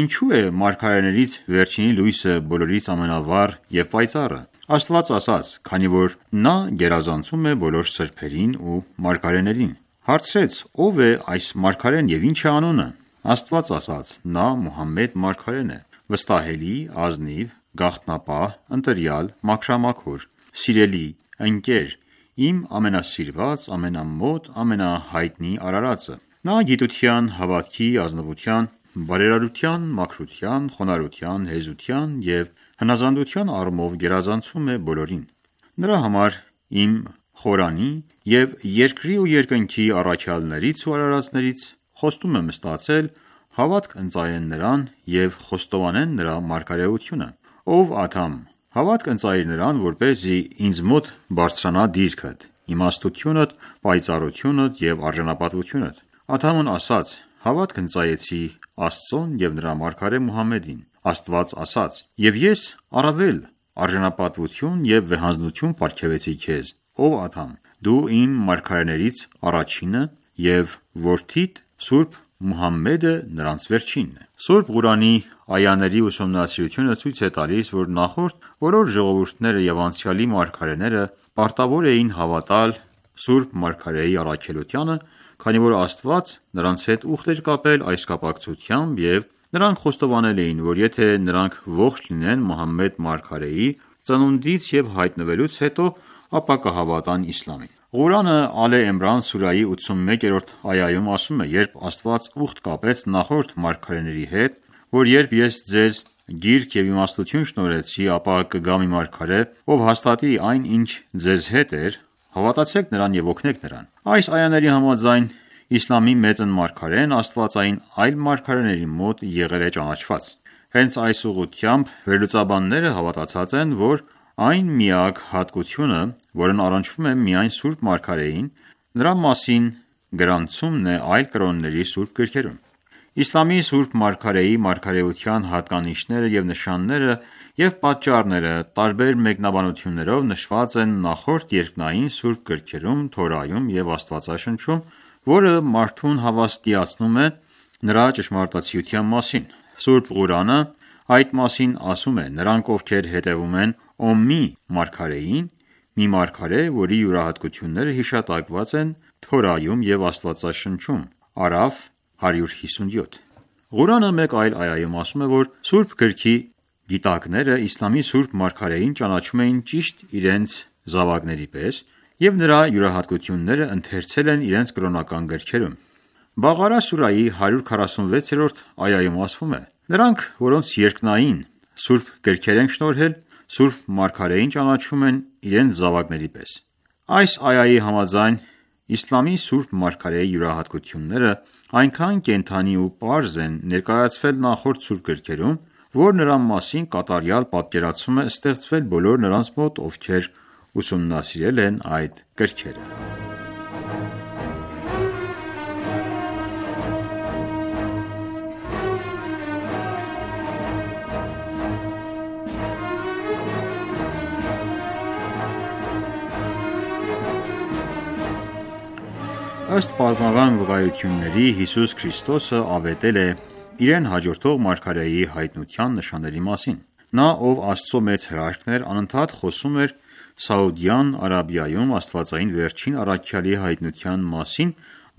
ինչու է մարգարեներից վերջինի լույսը բոլորից ամենավառ և պայծառը»։ Աստված ասաց. «Քանի որ նա գերազանցում է բոլոր սրբերին ու մարգարեներին»։ Հարցրեց. «Ով է այս մարգարեն և ինչ է անունը»։ Աստված ասաց. «Նա Մուհամմեդ մարգարեն է, վստահելի, ազնիվ, գաղտնապահ, ընտրյալ, մաքրամաքուր, սիրելի, ընկեր, իմ ամենասիրված, ամենամոտ, ամենահայտնի արարածը։ Նա գիտության, հավատքի, ազնվության, բարերարության, մաքրության, խոնարհության, հեզության և հնազանդության առումով գերազանցում է բոլորին։ Նրա համար իմ խորանի և երկրի ու երկնքի առաքյալներից ու արարածներից խոստում եմ ստացել հավատք ընծայեն նրան և խոստովանեն նրա մարգարեությունը։ Ով Ադամ, հավատք ընծայիր նրան, որպեսզի ինձ մոտ բարձրանա դիրքդ, իմաստությունդ, պայծառությունդ և արժանապատվությունդ»։ Ադամն ասաց. «Հավատք ընծայեցի Աստծուն և նրա մարգարե Մուհամմեդին»։ Աստված ասաց. «Եվ ես առավել արժանապատվություն և վեհանձնություն պարգևեցի քեզ, ով Ադամ, դու իմ մարգարեներից առաջինը և որդիդ Սուրբ Մուհամմեդը նրանց վերջինն է»։ Սուրբ Ղուրանի այաների ուսումնասիրությունը ցույց է տալիս, որ նախորդ բոլոր ժողովուրդները և անցյալի մարգարեները պարտավոր էին հավատալ Սուրբ Մարգարեի առաքելությանը, քանի որ Աստված նրանց հետ ուխտ էր կապել այս կապակցությամբ և Նրանք խոստովանել էին, որ եթե նրանք ողջ լինեն Մուհամմեդ մարգարեի ծնունդից և հայտնվելուց հետո, ապա կհավատան իսլամին։ Ղուրանը Ալե Էմրան սուրայի ութսունմեկերորդ այայում ասում է. «Երբ Աստված ուխտ կապեց նախորդ մարգարեների հետ, որ երբ ես ձեզ գիրք և իմաստություն շնորհեցի, ապա կգա մի մարգարե, ով հաստատի այն, ինչ ձեզ հետ էր, հավատացեք նրան և օգնեք նրան»։ Այս այաների համաձայն իսլամի մեծն մարգարեն աստվածային այլ մարգարեների մոտ եղել է ճանաչված։ Հենց այս ուղղությամբ վերլուծաբանները հավատացած են, որ այն միակ հատկությունը, որն առնչվում է միայն Սուրբ Մարգարեին, նրա մասին գրանցումն է այլ կրոնների սուրբ գրքերում։ Իսլամի Սուրբ Մարգարեի մարգարեության հատկանիշները և նշանները և պատճառները տարբեր մեկնաբանություններով նշված են նախորդ երկնային սուրբ գրքերում, Թորայում և Աստվածաշնչում, որը մարդուն հավաստիացնում է նրա ճշմարտացիության մասին։ Սուրբ Ղուրանը այդ մասին ասում է. «Նրանք, ովքեր հետևում են Օմմի մարգարեին, մի մարգարե, որի յուրահատկությունները հիշատակված են Թորայում և Աստվածաշնչում»։ Արաֆ հարյուր հիսունյոթ։ Ղուրանը մեկ այլ այայում ասում է, որ Սուրբ գրքի գիտակները իսլամի Սուրբ Մարգարեին ճանաչում էին ճիշտ իրենց զավակների պես և նրա յուրահատկությունները ընթերցել են իրենց կրոնական գրքերում։ Բաղարա սուրայի հարյուր քառասունվեցերորդ այայում ասվում է. «Նրանք, որոնց երկնային սուրբ գրքեր ենք շնորհել, Սուրբ Մարգարեին ճանաչում են իրենց զավակների պես»։ Այս այայի համաձայն իսլամի Սուրբ Մարգարեի յուրահատկությունները այնքան կենդանի ու պարզ են ներկայացվել նախորդ սուրբ գրքերում, որ նրա մասին կատարյալ պատկերացում է ստեղծվել բոլոր նրանց մոտ, ովքեր ուսումնասիրել են այդ գրքերը։ Ըստ պատմական վկայությունների, Հիսուս Քրիստոսը ավետել է իրեն հաջորդող մարգարեի հայտնության նշանների մասին։ Նա, ով Աստծո մեծ հրաշքն էր, անընդհատ խոսում էր Սաուդյան Արաբիայում աստվածային վերջին առաքյալի հայտնության մասին,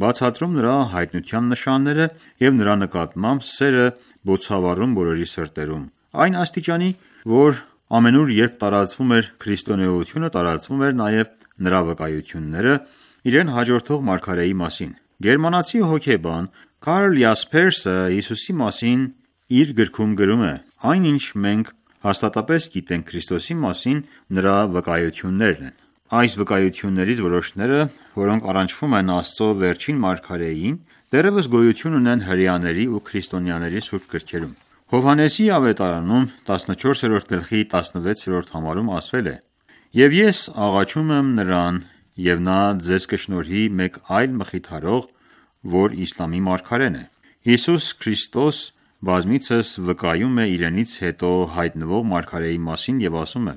բացատրում նրա հայտնության նշանները և նրա նկատմամբ սերը բոցավառում բոլորի սրտերում, այն աստիճանի, որ ամենուր երբ տարածվում էր քրիստոնեությունը, տարածվում էր նաև նրա վկայությունները իրեն հաջորդող մարգարեի մասին։ Գերմանացի հոգեբան Կարլ Յասպերսը Հիսուսի մասին իր գրքում գրում է. «Այն, ինչ մենք հաստատապես գիտենք Քրիստոսի մասին, նրա վկայություններն են»։ Այս վկայություններից որոշները, որոնք առնչվում են Աստծո վերջին մարգարեին, դեռևս գոյություն ունեն հրեաների ու քրիստոնյաների սուրբ գրքերում։ Հովհաննեսի ավետարանում տասնչորսերորդ գլխի տասնվեցերորդ համարում ասվել է. «Եվ ես աղաչում եմ նրան, և նա ձեզ կշնորհի մեկ այլ մխիթարող, որ իսլամի մարգարեն է»։ Հիսուս Քրիստոս բազմիցս վկայում է իրենից հետո հայտնվող մարգարեի մասին և ասում է.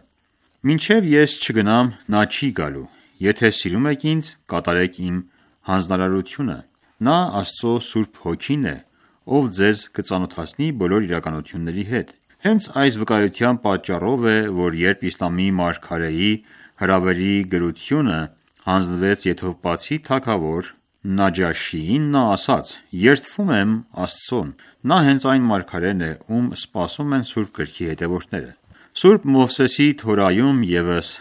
«Մինչև ես չգնամ, նա չի գալու։ Եթե սիրում եք ինձ, կատարեք իմ հանձնարարությունը։ Նա Աստծո Սուրբ Հոգին է, ով ձեզ կծանոթացնի բոլոր իրականությունների հետ»։ Հենց այս վկայության պատճառով է, որ երբ իսլամի մարգարեի հրավերի գրությունը հանձնվեց Եթովպացի թագավոր Նաջաշիին, նա ասաց. «Երդվում եմ Աստծուն, նա հենց այն մարգարեն է, ում սպասում են Սուրբ գրքի հետևորդները»։ Սուրբ Մովսեսի Թորայում ևս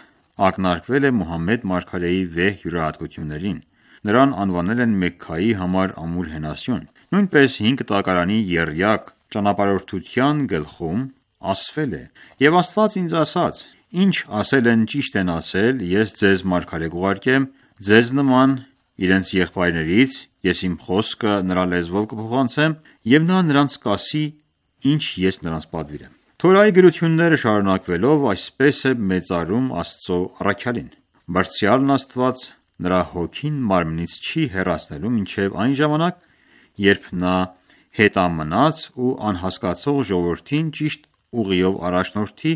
ակնարկվել է Մուհամմեդ մարգարեի վեհ յուրահատկություններին։ Նրան անվանել են Մեքքայի համար ամուր հենասյուն։ Նույնպես հինգ տակարանի եռյակ ճանապարհորդության գլխում ասվել է. «Եվ Աստված ինձ ասաց. ինչ ասել են ճիշտ են ասել, ես ձեզ մարգարե կուղարկեմ ձեզ նման իրենց եղբայրներից, ես իմ խոսքը նրա լեզվով կփոխանցեմ, և նա նրանց կասի, ինչ ես նրանց պատվիրեմ»։ Թորայի գրությունները շարունակվելով այսպես է մեծարում Աստծո առաքյալին. «Բարձրյալն Աստված նրա հոգին մարմնից չի հեռացնելու մինչև այն ժամանակ, երբ նա հետամնաց ու անհասկացող ժողովրդին ճիշտ ուղիով առաջնորդի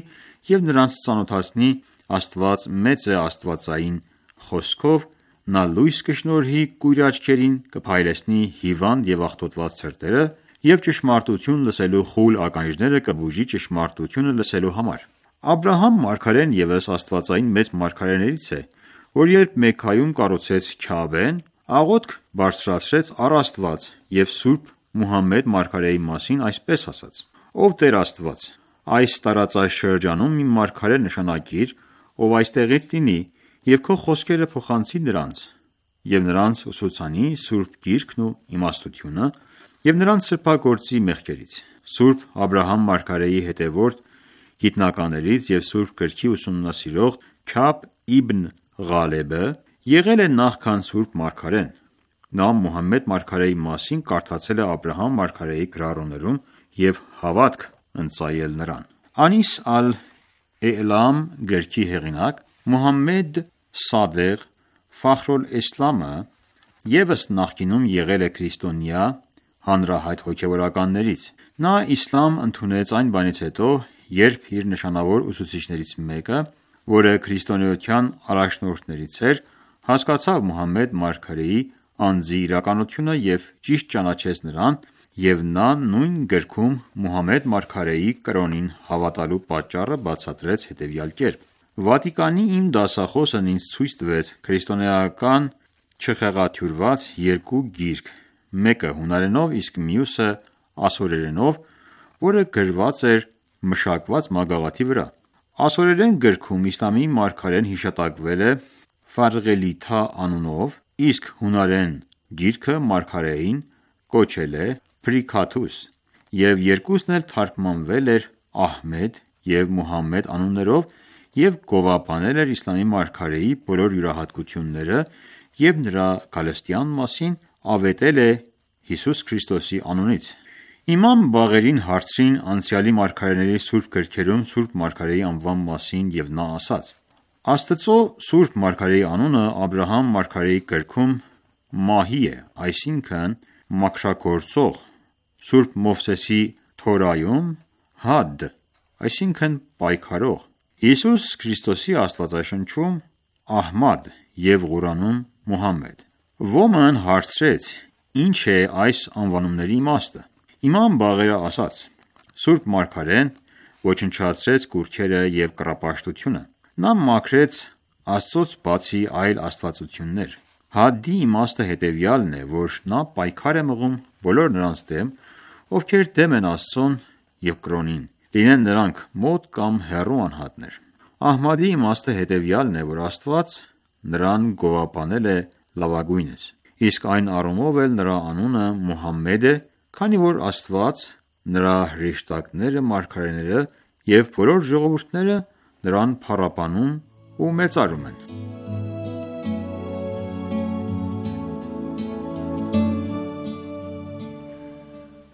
և նրանց ծանոթացնի Աստված մեծ է աստվածային խոսքով, նա լույս կշնորհի կույր աչքերին, կփայլեցնի հիվանդ և աղտոտված սրտերը և ճշմարտություն լսելու խուլ ականջները կբուժի ճշմարտությունը լսելու համար»։ Աբրահամ մարգարեն ևս աստվածային մեծ մարգարեներից է, որ երբ Մեքքայում կառուցեց Քաաբեն, աղոթք բարձրացրեց առ Աստված և սուրբ Մուհամմեդ մարգարեի մասին այսպես ասաց. «Ով Տեր Աստված, այս տարածաշրջանում մի մարգարե նշանակիր, ով այստեղից լինի և քո խոսքերը փոխանցի նրանց և նրանց ուսուցանի սուրբ գիրքն ու իմաստությունը և նրանց սրբագործի մեղքերից»։ Սուրբ Աբրահամ մարգարեի հետևորդ գիտնականներից և Սուրբ Գրքի ուսումնասիրող Քաբ իբն Ղալեբը եղել է նախքան Սուրբ Մարգարեն։ Նա Մուհամմեդ մարգարեի մասին կարդացել է Աբրահամ մարգարեի գրառումներում և հավատք ընծայել նրան։ Անիս ալ-Էըլամ գրքի հեղինակ Մուհամմեդ Սադեղ Ֆախրոլէսլամը ևս նախկինում եղել է քրիստոնյա հանրահայտ հոգևորականներից։ Նա իսլամ ընդունեց այն բանից հետո, երբ իր նշանավոր ուսուցիչներից մեկը, որը քրիստոնեության առաջնորդներից էր, հասկացավ Մուհամմեդ մարգարեի անձի իրականությունը և ճիշտ ճանաչեց նրան, և նա նույն գրքում Մուհամմեդ մարգարեի կրոնին հավատալու պատճառը բացատրեց հետևյալ կերպ. «Վատիկանի իմ դասախոսն ինձ ցույց տվեց քրիստոնեական չխեղաթյուրված երկու գիրք, մեկը հունարենով, իսկ մյուսը ասորերենով, որը գրված էր մշակված մագաղաթի վրա։ Ասորերեն գրքում իսլամի մարգարեն հիշատակվել է Ֆարղելիթա անունով, իսկ հունարեն գիրքը մարգարեին կոչել է Փրիքաթուս, և երկուսն էլ թարգմանվել էր Ահմեդ և Մուհամմեդ անուններով և գովաբանել էր իսլամի մարգարեի բոլոր յուրահատկությունները և նրա գալստյան մասին ավետել է Հիսուս Քրիստոսի անունից»։ Իմամ Բաղերին հարցրին անցյալի մարգարեների սուրբ գրքերում սուրբ մարգարեի անվան մասին և նա ասաց. «Աստծո սուրբ մարգարեի անունը Աբրահամ մարգարեի գրքում Մահի է, այսինքն մաքրագործող, սուրբ Մովսեսի Թորայում Հադ, այսինքն պայքարող, Հիսուս Քրիստոսի աստվածաշնչում Ահմադ և Ղուրանում Մուհամմեդ»։ Ոմն հարցրեց. «Ինչ է այս անվանումների իմաստը»։ Իմամ Բաղերը ասաց. «Սուրբ մարգարեն ոչնչացրեց կուռքերը և կռապաշտությունը։ Նա մաքրեց Աստծուց բացի այլ աստվածություններ։ Հադի իմաստը հետևյալն է, որ նա պայքար է մղում բոլոր նրանց դեմ, ովքեր դեմ են Աստծուն և կրոնին, լինեն նրանք մոտ կամ հեռու անհատներ։ Ահմադի իմաստը հետևյալն է, որ Աստված նրան գովաբանել է լավագույնս, իսկ այն առումով էլ նրա անունը Մուհամմեդ է, քանի որ Աստված, նրա հրեշտակները, մարգարեները և բոլոր ժողովուրդները նրան փառաբանում ու մեծարում են»։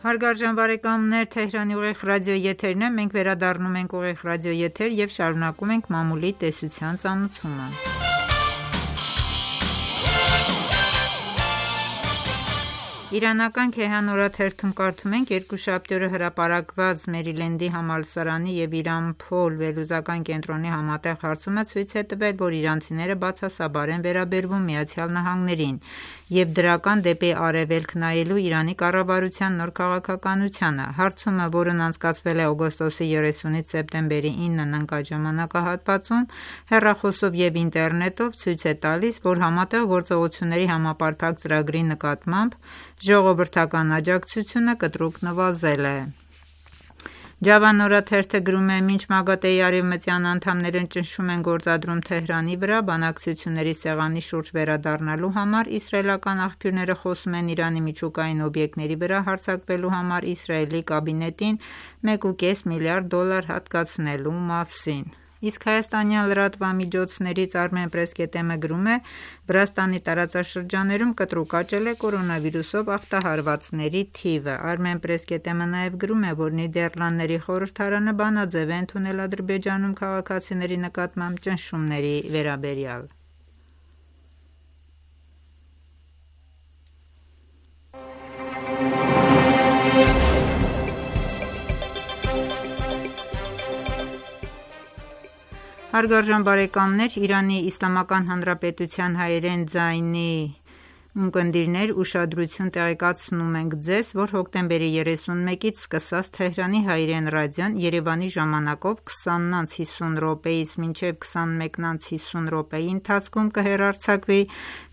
Հարգարժան բարեկամներ, Թեհրանի ուղիղ ռադիոյի եթերն է, մենք վերադառնում ենք ուղիղ ռադիոյի եթեր և շարունակում ենք մամուլի տեսության ծանոթումը։ Իրանական Քեհան օրաթերթում կարդում ենք. «Երկուշաբթի օրը հրապարակված Մերիլենդի համալսարանի և Իրան-Փոլ վերլուծական կենտրոնի համատեղ հարցումը ցույց է տվել, որ իրանցիները բացասաբար են վերաբերվում ԱՄՆ-ին և դրական դեպի արևելք նայելու Իրանի կառավարության նոր քաղաքականությանը։ Հարցումը, որն անցկացվել է օգոստոսի երեսունից սեպտեմբերի իննն ընկած ժամանակահատվածում, հեռախոսով և ինտերնետով, ցույց է տալիս, որ Համատեղ գործողությունների համապարփակ ծրագրի նկատմամբ ժողովրդական աջակցությունը կտրուկ նվազել է։ Ջավան օրաթերթը գրում է. «Մինչ ՄԱԳԱՏԷ-ի արևմտյան անդամներն ճնշում են գործադրում Թեհրանի վրա բանակցությունների սեղանի շուրջ վերադառնալու համար, իսրայելական աղբյուրները խոսում են Իրանի միջուկային օբյեկտների վրա հարձակվելու համար Իսրայելի կաբինետին մեկ և կես միլիարդ դոլար հատկացնելու մասին»։ Իսկ հայաստանյան լրատվամիջոցներից Armenpress.am-ը գրում է. «Վրաստանի տարածաշրջաներում կտրուկ աճել է կորոնավիրուսով ախտահարվածների թիվը»։ Armenpress.am-ը նաև գրում է, որ Նիդերլանդների խորհրդարանը բանաձև է ընդունել Ադրբեջանում քաղաքացիների նկատմամբ ճնշումների վերաբերյալ։ Հարգարժան բարեկամներ, Իրանի Իսլամական Հանրապետության հայերեն ձայնի Ունկնդիրներ, ուշադրություն տեղեկացնում ենք ձեզ, որ հոկտեմբերի երեսունմեկից սկսած Թեհրանի հայրեն ռադիոն Երևանի ժամանակով քսանից հիսուն րոպեից մինչև քսանմեկից հիսուն րոպեի ընթացքում կհեռարձակվի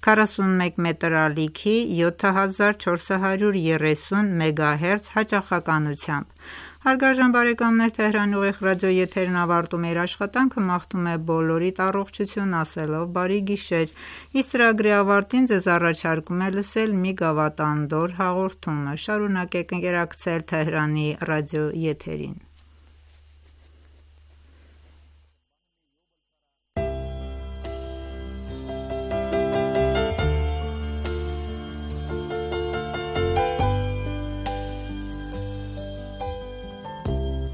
քառասունմեկ մետր ալիքի յոթ հազար չորս հարյուր երեսուն մեգահերց հաճախականությամբ։ Հարգարժան բարեկամներ, Թեհրանի ուղիղ ռադիոեթերն ավարտում է իր աշխատանքը, մաղթում է բոլորիդ առողջություն ասելով բարի գիշեր։ Իսկ ծրագրի ավարտին ձեզ առաջարկում է լսել մի գավաթանդոր հաղորդումը։ Շարունակեք ընկերակցել Թեհրանի ռադիոեթերին։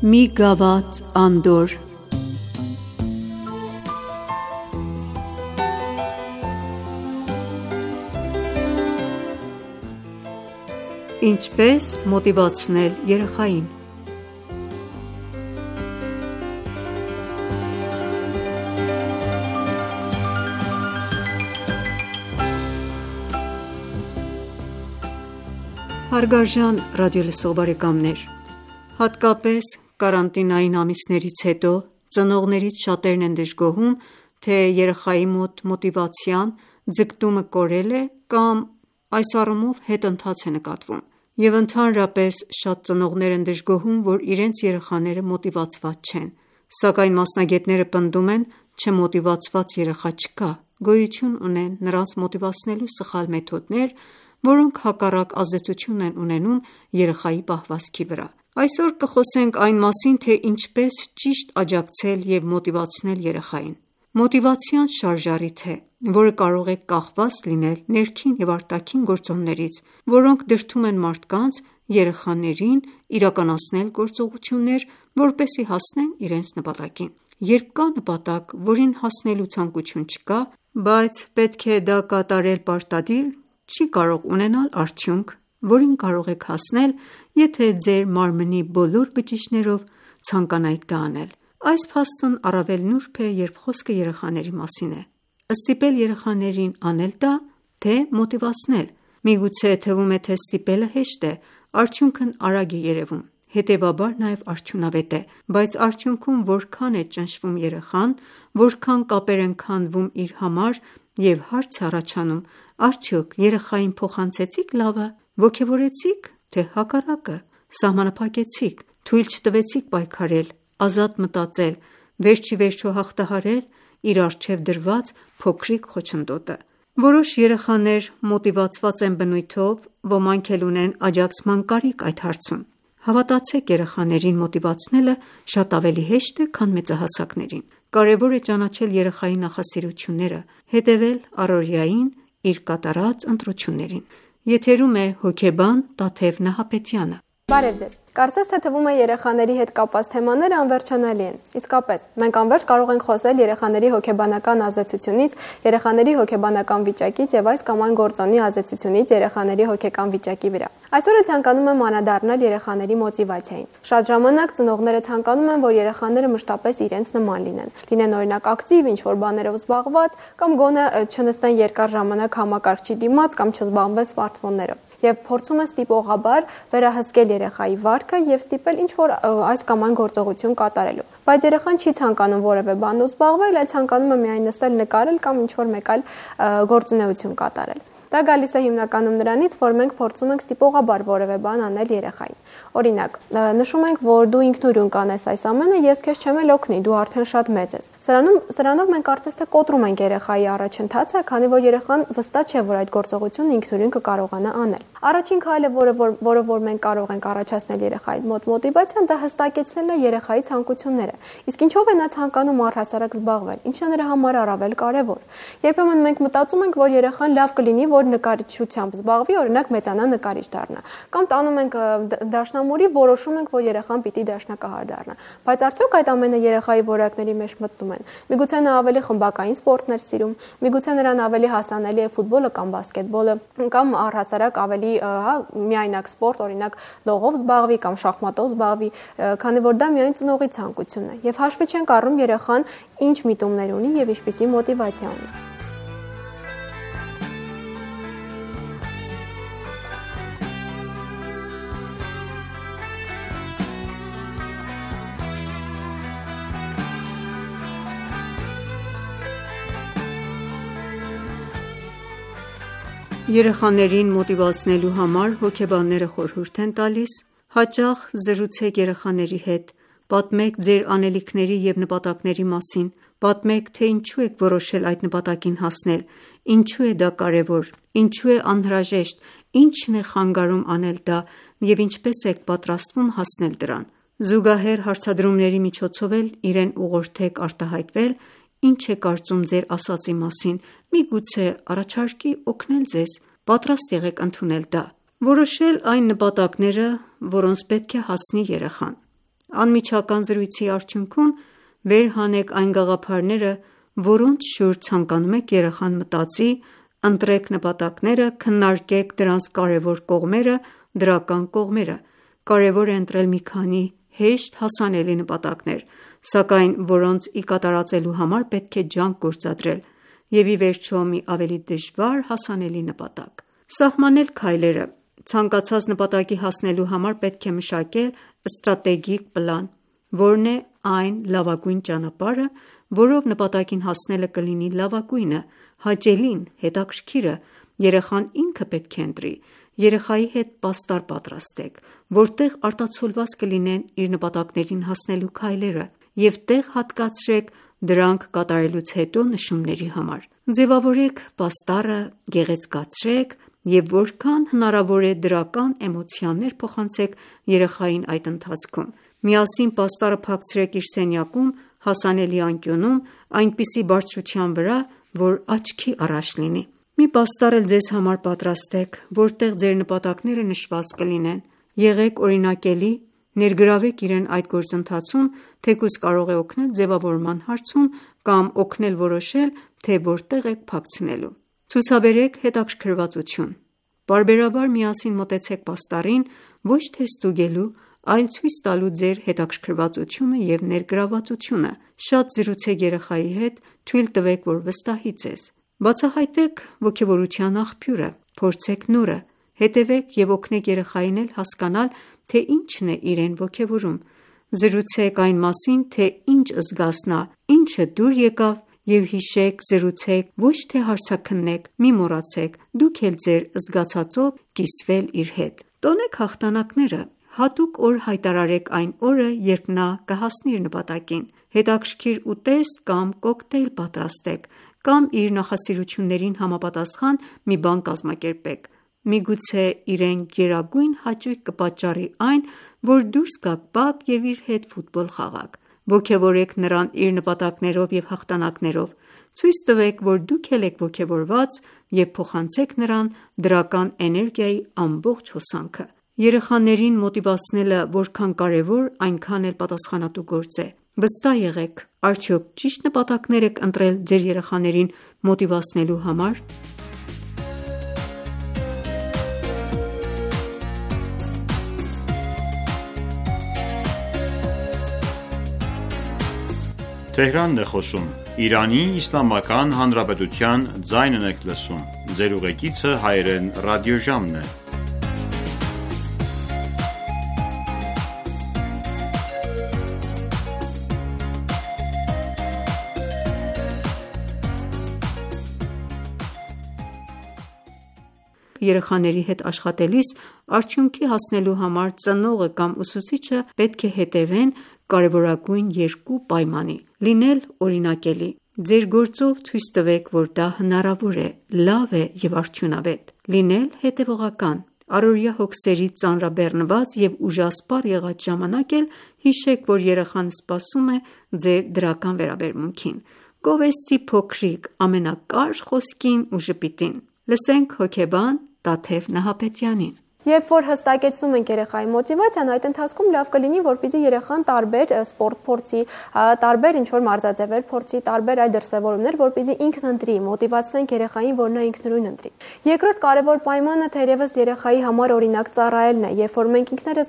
Մի գավաթ անդոր։ Ինչպես մոտիվացնել երեխային։ Հարգարժան ռադիոլսող բարեկամներ, հատկապես կարանտինային ամիսներից հետո ծնողներից շատերն են դժգոհում, թե երեխայի մոտ մոտիվացիան ձգտումը կորել է կամ այս առումով հետընթաց է նկատվում, և ընդհանրապես շատ ծնողներ են դժգոհում, որ իրենց երեխաները մոտիվացված չեն, սակայն մասնագետները պնդում են, չմոտիվացված երեխա չկա, գոյություն ունեն նրանց մոտիվացնելու սխալ մեթոդներ, որոնք հակառակ ազդեցություն են ունենում երեխայի պահվածքի վրա։ Այսօր կխոսենք այն մասին, թե ինչպես ճիշտ աջակցել և մոտիվացնել երեխային։ Մոտիվացիան շարժառիթ է, որը կարող է կախված լինել ներքին և արտաքին գործոններից, որոնք դրդում են մարդկանց երեխաներին իրականացնել գործողություններ, որպեսզի հասնեն իրենց նպատակին։ Երբ կա նպատակ, որին հասնելու ցանկություն չկա, բայց պետք է դա կատարել պարտադիր, չի կարող ունենալ արդյունք, որին կարող եք հասնել, եթե ձեր մարմնի բոլոր բջիջներով ցանկանայիք դա անել։ Այս փաստն առավել նուրբ է, երբ խոսքը երեխաների մասին է։ Ստիպել երեխաներին անել դա, թե մոտիվացնել։ Միգուցե թվում է, թե ստիպելը հեշտ է, արդյունքն արագ է երևում, հետևաբար նաև արդյունավետ է, բայց արդյունքում որքան է ճնշվում երեխան, որքան կապեր են քանդվում իր համար և հարց է առաջանում, արդյոք երեխային փոխանցեցի՞ք լավը, ոգևորեցի՞ք, թե հակառակը, սահմանափակեցիք, թույլ չտվեցիք պայքարել, ազատ մտածել, վերջիվերջո հաղթահարել իր առջև դրված փոքրիկ խոչընդոտը։ Որոշ երեխաներ մոտիվացված են բնույթով, ոմանք էլ ունեն աջակցման կարիք այդ հարցում։ Հավատացեք, երեխաներին մոտիվացնելը շատ ավելի հեշտ է, քան մեծահասակներին։ Կարևոր է ճանաչել երեխայի նախասիրությունները, հետևել առօրյային իր կատարած ընտրություններին։ Եթերում է հոգեբան Տաթև Նահապետյանը։ Բարև ձեզ։ Կարծես թե թվում է երեխաների հետ կապված թեմաները անվերջանալի են։ Իսկապես, մենք անվերջ կարող ենք խոսել երեխաների հոգեբանական ազդեցությունից, երեխաների հոգեբանական վիճակից եւ այս կամ այն գործոնի ազդեցությունից երեխաների հոգեկան վիճակի վրա։ Այսօր ցանկանում եմ անդրադառնալ երեխաների մոտիվացիային։ Շատ ժամանակ ծնողները ցանկանում են, որ երեխաները մշտապես իրենց նման լինեն։ Լինեն օրինակ ակտիվ, ինչ-որ բաներով զբաղված, կամ գոնե չնստեն երկար ժամանակ համակարգչի դիմաց կամ չզբաղվեն սմարթֆոններով։ Եվ փորձում է ստիպողաբար վերահսկել երեխայի վարքը եւ ստիպել ինչ-որ այս կամ այն գործողություն կատարելու։ Բայց երեխան չի ցանկանում որևէ բանով զբաղվել, այլ ցանկանում է միայն նստել, նկարել կամ ինչ-որ մեկ այլ գործունեություն կատարել։ Դա գալիս է հիմնականում նրանից, որ մենք փորձում ենք ստիպողաբար որևէ բան անել երեխային։ Օրինակ, նշում ենք, որ դու ինքնուրույն կանես այս ամենը, ես քեզ չեմ էլ օգնի, դու արդեն շատ մեծ ես։ Սրանում սրանով մենք կարծես թե կոտրում ենք երեխայի առաջընթացը, քանի որ երեխան վստահ չէ, որ այդ գործողությունը ինքնուրույն կկարողանա անել։ Առաջին քայլը, որը որը որ մենք կարող ենք առաջացնել երեխայի մոտ մոտիվացիան, դա հստակեցնելն է երեխայի ցանկությունները։ Իսկ ինչով է նա ցանկանում առհասարակ զբաղվել, ինչն է նրա համար առավել կարևոր։ Երբեմն մենք մտածում ենք, որ երեխան լավ կլինի, որ նկարիչությամբ զբաղվի, օրինակ մեծանա նկարիչ դառնա։ Կամ տանում ենք դաշնամուրի, որոշում ենք, որ երեխան պիտի դաշնակահար դառնա։ Բայց արդյոք այդ ամենը երեխայի որակների մեջ մտնում են։ Միգուցե նա ավելի խմբակային սպորտներ սիրում, միգուցե նրան ավելի հասանելի է ֆուտբոլը կամ բասկետբոլը, կամ առհասարակ ավելի, հա, միայնակ սպորտ, օրինակ լողով զբաղվի կամ շախմատով զբաղվի, քանի որ դա միայն ծնողի ցանկությունն է։ Եվ հաշվի չենք առնում երեխան ինչ միտումներ ունի եւ ինչպիսի մոտիվացիա ունի։ Երեխաներին մոտիվացնելու համար հոգեբանները խորհուրդ են տալիս. հաճախ զրուցեք երեխաների հետ, պատմեք ձեր անելիքների և նպատակների մասին, պատմեք, թե ինչու եք որոշել այդ նպատակին հասնել, ինչու է դա կարևոր, ինչու է անհրաժեշտ, ինչն է խանգարում անել դա և ինչպես եք պատրաստվում հասնել դրան: Զուգահեռ հարցադրումների միջոցով էլ իրեն ուղղորդեք արտահայտվել ինչ է կարծում ձեր ասածի մասին, միգուցե առաջարկի օգնել ձեզ, պատրաստ եղեք ընդունել դա: Որոշել այն նպատակները, որոնց պետք է հասնի երեխան: Անմիջական զրույցի արդյունքում վեր հանեք այն գաղափարները, որոնց շուրջ ցանկանում եք երեխան մտածի, ընտրեք նպատակները, քննարկեք դրանց կարևոր կողմերը, դրական կողմերը: Կարևոր է ընտրել մի քանի հեշտ հասանելի նպատակներ, սակայն որոնց ի կատարածելու համար պետք է ջանք գործադրել և ի վերջո մի ավելի դժվար հասանելի նպատակ: Սահմանել քայլերը: Ցանկացած նպատակի հասնելու համար պետք է մշակել ստրատեգիկ պլան: Որն է այն լավագույն ճանապարհը, որով նպատակին հասնելը կլինի լավագույնը, հաճելին, հետաքրքիրը: Երեխան ինքը պետք է ընտրի: Երեխայի հետ պաստառ պատրաստեք, որտեղ արտացոլված կլինեն իր նպատակներին հասնելու քայլերը և տեղ հատկացրեք դրանք կատարելուց հետո նշումների համար: Ձևավորեք պաստառը, գեղեցկացրեք և որքան հնարավոր է դրական էմոցիաներ փոխանցեք երեխային այդ ընթացքում: Միասին պաստառը փակցրեք իր սենյակում հասանելի անկյունում, այնպիսի բարձրության վրա, որ աչքի առաջ լինի: Մի պաստառ էլ ձեզ համար պատրաստեք, որտեղ ձեր նպատակները նշված կլինեն: Եղեք օրինակելի, ներգրավեք իրեն այդ գործընթացում, թեկուզ կարող է օգնել ձևավորման հարցում կամ օգնել որոշել, թե որտեղ եք փակցնելու: Ցուցաբերեք հետաքրքրվածություն: Պարբերաբար միասին մոտեցեք պաստառին, ոչ թե ստուգելու, այլ ցույց տալու ձեր հետաքրքրվածությունը և ներգրավվածությունը: Շատ զրուցեք երեխայի հետ, թույլ տվեք, որ վստահի ձեզ: Բացահայտեք ոգևորության աղբյուրը, փորձեք նորը, հետևեք և օգնեք երեխային էլ հասկանալ, թե ինչն է իրեն ոգևորում: Զրուցեք այն մասին, թե ինչ զգաց նա, ինչը դուր եկավ և հիշեք, զրուցեք, ոչ թե հարցաքննեք: Մի մոռացեք դուք էլ ձեր զգացածով կիսվել իր հետ: Տոնեք հաղթանակները: Հատուկ օր հայտարարեք այն օրը, երբ նա կհասնի իր նպատակին: Հետաքրքիր ուտեստ կամ կոկտեյլ պատրաստեք կամ իր նախասիրություններին համապատասխան մի բան կազմակերպեք: Միգուցե իրեն գերագույն հաճույք կպատճառի այն, որ դուրս գաք բակ և իր հետ ֆուտբոլ խաղաք: Ոգևորեք նրան իր նպատակներով և հաղթանակներով: Ցույց տվեք, որ դուք էլ եք ոգևորված և փոխանցեք նրան դրական էներգիայի ամբողջ հոսանքը: Երեխաներին մոտիվացնելը որքան կարևոր, այնքան էլ պատասխանատու գործ է: Վստահ եղեք, արդյոք ճիշտ նպատակներ եք ընտրել ձեր երեխաներին մոտիվացնելու համար: Երեխաների հետ աշխատելիս արդյունքի հասնելու համար ծնողը կամ ուսուցիչը պետք է հետևեն կարևորագույն երկու պայմանի: Լինել օրինակելի: Ձեր գործով ցույց տվեք, որ դա հնարավոր է, լավ է և արդյունավետ: Լինել հետևողական: Առօրյա հոգսերից ծանրաբեռնված և ուժասպառ եղած ժամանակ էլ հիշեք, որ երեխան սպասում է ձեր դրական վերաբերմունքին: Գովեստի փոքրիկ ամենակար խոսքին ու ժպիտին: Լսենք հոգեբան Տաթև Նահապետյանին: Երբ որ հստակեցնում ենք երեխայի մոտիվացիան, այդ ընթացքում լավ կլինի, որպեսզի երեխան տարբեր սպորտ փորձի, տարբեր ինչ-որ մարզաձևեր փորձի, տարբեր այլ դրսևորումներ, որպեսզի ինքն ընտրի, մոտիվացնենք երեխային, որ նա ինքնուրույն ընտրի: Երկրորդ կարևոր պայմանը թերևս երեխայի համար օրինակ ծառայելն է: Երբ որ մենք ինքներս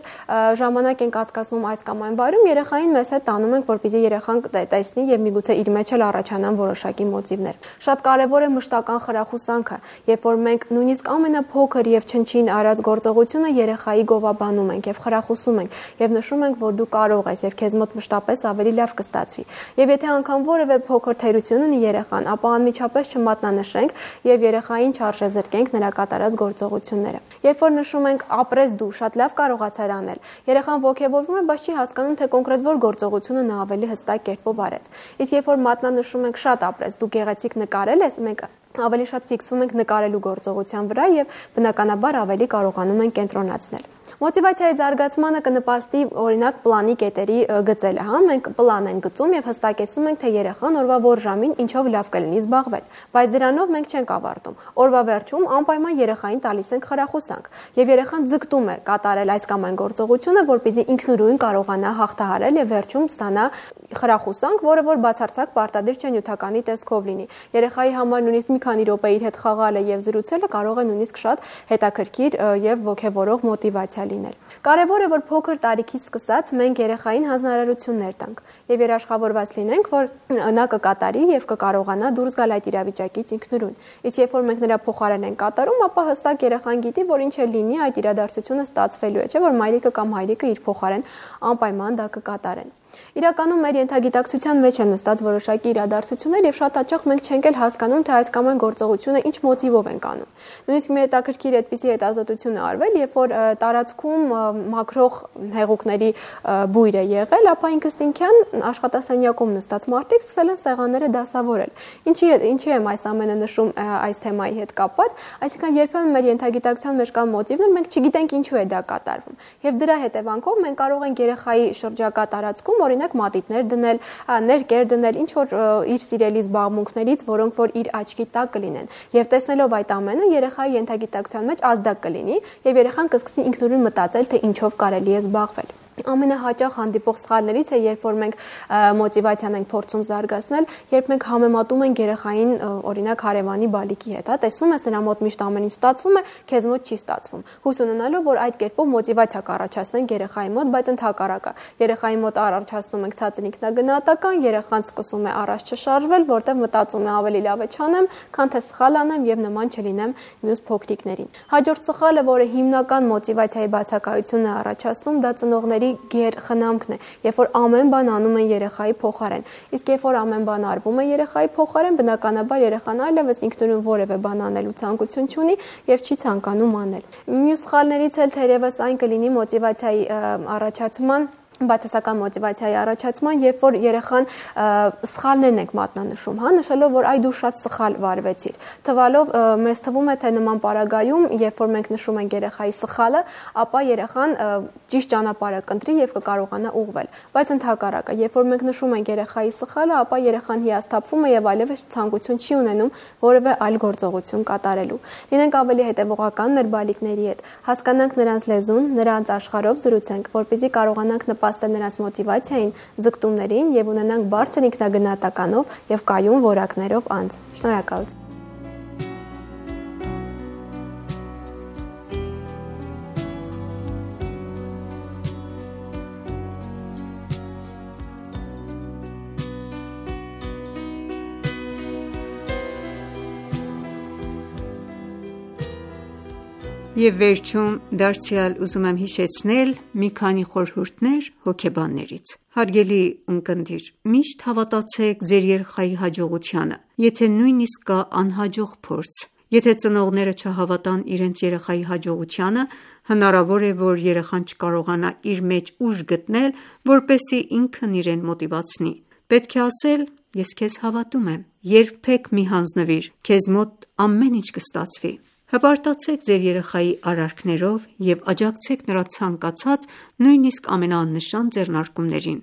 ժամանակ ենք անցկացնում այս կամ այն վայրում, երեխային մեզ հետ տանում ենք, որպեսզի երեխան տեսնի և միգուցե իր մեջ էլ առաջանան որոշակի մոտիվներ: Շատ կարևոր է մշտական խրախուսանքը: Երբ որ մենք նույնիսկ ամենափոքր և չնչին արած գործ գործողությունը երեխայի գովաբանում ենք եւ խրախուսում ենք եւ նշում ենք, որ դու կարող ես եւ քեզ մոտ մշտապես ավելի լավ կստացվի։ Եվ եթե անգամ որևէ փոքր թերություն ունի երեխան, ապա անմիջապես չմատնանշենք եւ երեխային չարժեզրկենք նրա կատարած գործողությունները։ Երբ որ նշում ենք ապրես դու, շատ լավ կարողացար անել, երեխան ոգևորվում է, բայց չի հասկանում, թե կոնկրետ որ գործողությունը նա ավելի հստակ կերպով արեց։ Իսկ երբ որ մատնանշում ենք շատ ապրես, դու գեղեցիկ նկարել ես, մենք ավելի շատ ֆիքսում ենք նկարելու գործողության վրա եւ բնականաբար ավելի կարողանում ենք կենտրոնացնել։ Մոտիվացիայի զարգացմանը կնպաստի օրինակ պլանի կետերի գծելը, հա, մենք պլան ենք գծում եւ հստակեցնում ենք, թե երեխան օրվա որ ժամին ինչով լավ կլինի զբաղվել, բայց դրանով մենք չենք ավարտում։ Օրվա վերջում անպայման երեխային տալիս ենք խրախուսանք եւ երեխան ձգտում է կատարել այս կամ այն գործողությունը, որպեսզի ինքնուրույն կարողանա հաղթահարել եւ վերջում ստանա խրախուսանք, որը որ բացարձակ պարտադիր չէ նյութականի տեսքով լինի։ Երեխայի համար նույնիսկ մի քանի րոպե իր հետ խաղալը եւ զրուցելը կարող է նույնիսկ շատ հետաքրքիր եւ ոգևորող մոտիվացիա լինել։ Կարևոր է, որ փոքր տարիքից սկսած մենք երեխային հանձնարարություններ տանք եւ երաշխավորված լինենք, որ նա կկատարի եւ կկարողանա դուրս գալ այդ իրավիճակից ինքնուրույն։ Իսկ երբ որ մենք նրա փոխարեն ենք կատարում, ապա հստակ երեխան գիտի, որ ինչ է լինի, այդ իրադարձությունը ստացվելու է, չէ՞ որ մայրիկը կամ հայրիկը իր փոխարեն անպայման դա կկատարեն։ Իրականում մեր ենթագիտակցության մեջ են նստած որոշակի իրադարձություններ եւ շատ հաճախ մենք չենք էլ հասկանում, թե այս կամ այն գործողությունը ինչ մոտիվով ենք անում։ Նույնիսկ մի հետաքրքիր այդպիսի հետազոտություն է արվել, երբ որ տարածքում մաքրող հեղուկների բույր է եղել, ապա ինքնստինքյան աշխատասենյակում նստած մարդիկ սկսել են սեղանները դասավորել։ Ինչի ինչի եմ այս ամենը նշում այս թեմայի հետ կապված, այսինքն երբեմն մեր ենթագիտակցության մեջ կա մոտիվներ, մենք չգիտենք ինչու է դա կատարվում։ Եվ դրա հետևանքով մենք կարող ենք երեխայի շրջակա տարածքում օրինակ մատիտներ դնել, ներկեր դնել, ինչ որ իր սիրելի զբաղմունքներից, որոնք որ իր աչքի տակ կլինեն։ Եվ տեսնելով այդ ամենը երեխայի ենթագիտակցության մեջ ազդակ կլինի, եւ երեխան կսկսի ինքնուրույն մտածել, թե ինչով կարելի է զբաղվել։ Ամենահաճախ հանդիպող սխալներից է, երբ որ մենք մոտիվացիան ենք փորձում զարգացնել, երբ մենք համեմատում ենք երեխային օրինակ հարևանի բալիկի հետ, հա, տեսնում ես նրա մոտ միշտ ամեն ինչ ստացվում է, քեզ մոտ չի ստացվում։ Հույս ունենալով, որ այդ կերպով մոտիվացիա կառաջացնենք երեխայի մոտ, բայց ընդհակառակը երեխայի մոտ առաջացնում ենք ցածր ինքնագնահատական, երեխան սկսում է առաջ չշարժվել, որտեղ մտածում է ավելի լավ է չանեմ, քան թե սխալ անեմ եւ նման չլինեմ մյուս փոքրիկներին։ Հաջորդ սխալը, որը հիմնական մոտիվացիայի բացակայությունն է առաջացնում, դա ծնողների գեր խնամքն է, երբ որ ամեն բան անում են երեխայի փոխարեն։ Իսկ երբ որ ամեն բան արվում է երեխայի փոխարեն, բնականաբար երեխան այլևս ինքնուրույն որևէ բան անելու ցանկություն չունի եւ չի ցանկանում անել։ Մյուս սխալներից էլ թերևս այն կլինի մոտիվացիայի առաջացման բացասական մոտիվացիայի առաջացման, երբ որ երեխան սխալներն ենք մատնանշում, հա, նշելով, որ այ դու շատ սխալ վարվեցիր։ Թվալով մեզ թվում է, թե նման պարագայում, երբ որ մենք նշում ենք երեխայի սխալը, ապա երեխան ճիշտ ճանապարհը կընտրի եւ կկարողանա ուղղվել։ Բայց ընդհակառակը, երբ որ մենք նշում ենք երեխայի սխալը, ապա երեխան հիասթափվում է եւ այլևս ցանկություն չի ունենում որևէ այլ գործողություն կատարելու։ Լինենք ավելի հետեւողական մեր բալիկների հետ, հասկանանք նրանց լեզուն, նրանց աշխարհով զրուցենք, որպեսզի կարողանանք նպաստել նրանց մոտիվացիային, ձգտումներին եւ ունենանք բարձր ինքնագնահատականով եւ կայուն որակներով անձ։ Շնորհակալություն։ Եվ վերջում դարձյալ ուզում եմ հիշեցնել մի քանի խորհուրդներ հոգեբաններից։ Հարգելի ունկնդիր, միշտ հավատացեք ձեր երեխայի հաջողությանը, եթե նույնիսկ կա անհաջող փորձ։ Եթե ծնողները չհավատան իրենց երեխայի հաջողությանը, հնարավոր է, որ երեխան չկարողանա իր մեջ ուժ գտնել, որպեսզի ինքն իրեն մոտիվացնի։ Պետք է ասել. ես քեզ հավատում եմ, երբեք մի հանձնվիր, քեզ մոտ ամեն ինչ կստացվի։ Հպարտացեք ձեր երեխայի արարքներով և աջակցեք նրա ցանկացած, նույնիսկ ամենաաննշան ձեռնարկումներին։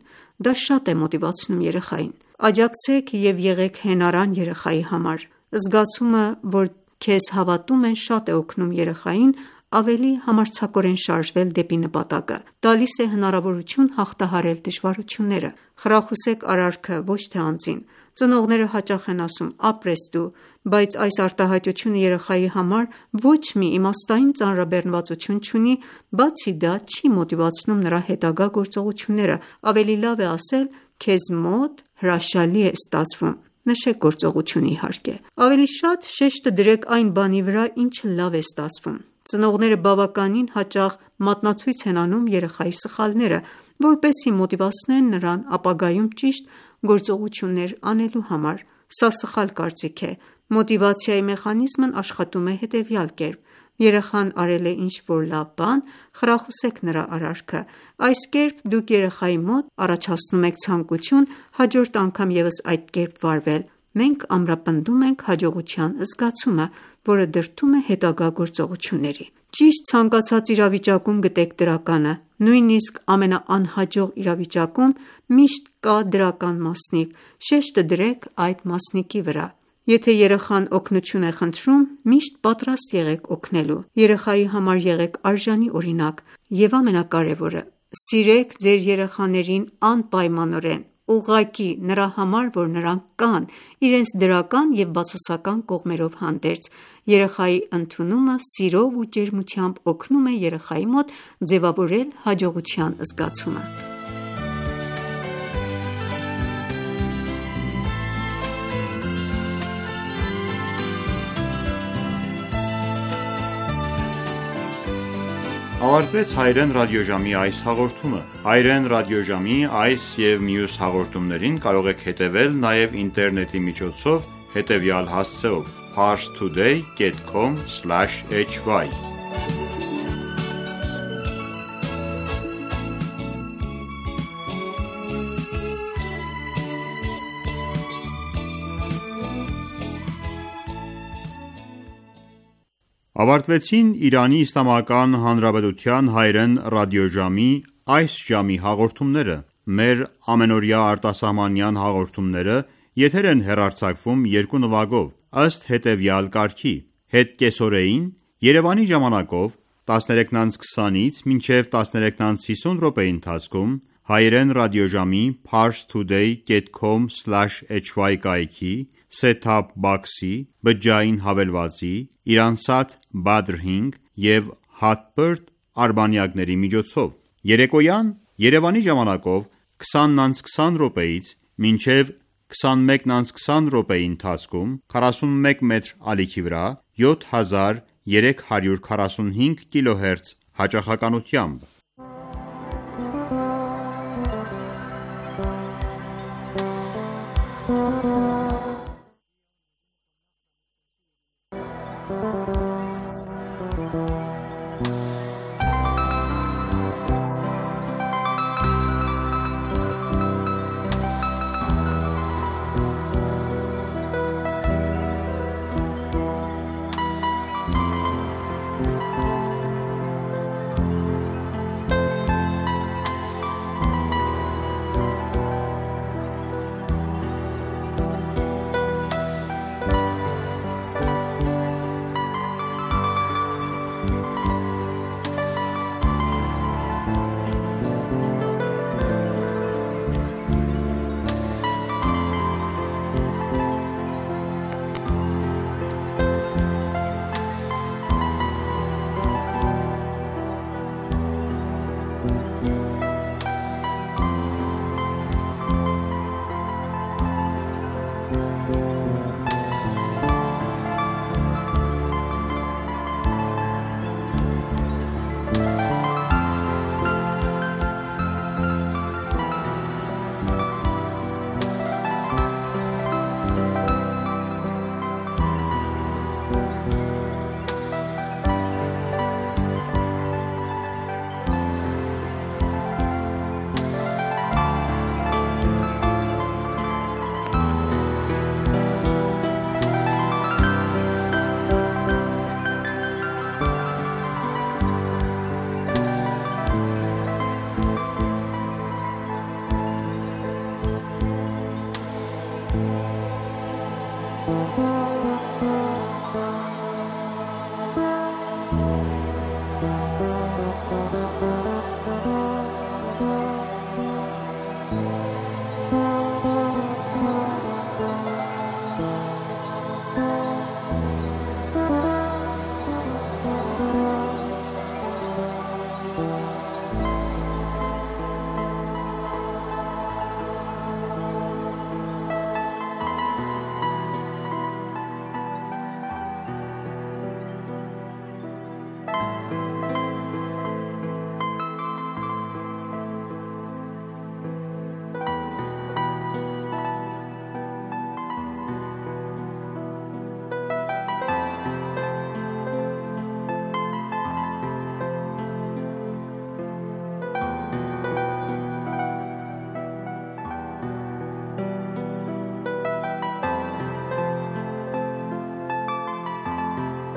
Դա շատ է մոտիվացնում երեխային։ Աջակցեք և եղեք հենարան երեխայի համար։ Զգացումը, որ քեզ հավատում են, շատ է օգնում երեխային ավելի համարձակորեն շարժվել դեպի նպատակը, տալիս է հնարավորություն հաղթահարել դժվարությունները։ Խրախուսեք արարքը, ոչ թե անձին։ Ծնողները հաճախ են ասում. ապրես դու, բայց այս արտահայտությունը երեխայի համար ոչ մի իմաստային ծանրաբեռնվածություն չունի, բացի դա չի մոտիվացնում նրա հետագա գործողությունները։ Ավելի լավ է ասել. քեզ մոտ հրաշալի է ստացվում։ Նշեք գործողությունը իհարկե։ Ավելի շատ շեշտը դրեք այն բանի վրա, ինչը լավ է ստացվում։ Ծնողները բավականին հաճախ մատնացույց են անում երեխայի սխալները, որպեսզի մոտիվացնեն նրան ապագայում ճիշտ գործողություններ անելու համար: Սա սխալ կարծիք է: Մոտիվացիայի մեխանիզմն աշխատում է հետևյալ կերպ. երեխան արել է ինչ-որ լավ բան, խրախուսեք նրա արարքը: Այս կերպ դուք երեխայի մոտ առաջացնում եք ցանկություն հաջորդ անգամ ևս այդ կերպ վարվել: Մենք ամրապնդում ենք հաջողության զգացումը, որը դրդում է հետագա գործողությունների: Ճիշտ ցանկացած իրավիճակում գտեք դրականը: Նույնիսկ ամենաանհաջող իրավիճակում միշտ կա դրական մասնիկ: Շեշտը դրեք այդ մասնիկի վրա: Եթե երեխան օգնություն է խնդրում, միշտ պատրաստ եղեք օգնելու: Երեխայի համար եղեք արժանի օրինակ: Եվ ամենակարևորը, սիրեք ձեր երեխաներին անպայմանորեն, ուղղակի նրա համար, որ նրանք կան, իրենց դրական և բացասական կողմերով հանդերձ: Երեխայի ընդունումը սիրով ու ջերմությամբ օգնում է երեխայի մոտ ձևավորել հաջողության զգացումը: Ավարտվեց հայրեն ռադիոժամի այս հաղորդումը: Հայրեն ռադիոժամի այս և մյուս հաղորդումներին կարող եք հետևել նաև ինտերնետի միջոցով հետևյալ հասցեով՝ parstoday dot com slash h y Ավարտվեցին Իրանի Իսլամական Հանրապետության հայրեն ռադիոժամի այս ժամի հաղորդումները: Մեր ամենօրյա արտասահմանյան հաղորդումները եթեր են հեռարձակվում երկու նվագով, ըստ հետևյալ կարգի. Հետ կեսօրեին Երևանի ժամանակով տասներեքն անց քսանից մինչև տասներեքն անց հիսուն րոպեի ընթացքում հայրեն ռադիոժամի parstoday dot com slash h y կայքի, set-top box-ի, բջջային հավելվածի, Iransat Badr հինգ և Hotbird արբանյակների միջոցով: Երեկոյան Երևանի ժամանակով քսանն անց քսան րոպեից մինչև քսանմեկն անց քսան րոպեի ընթացքում քառասունմեկ մետր ալիքի վրա յոթ հազար երեք հարյուր քառասունհինգ կիլոհերց հաճախականությամբ: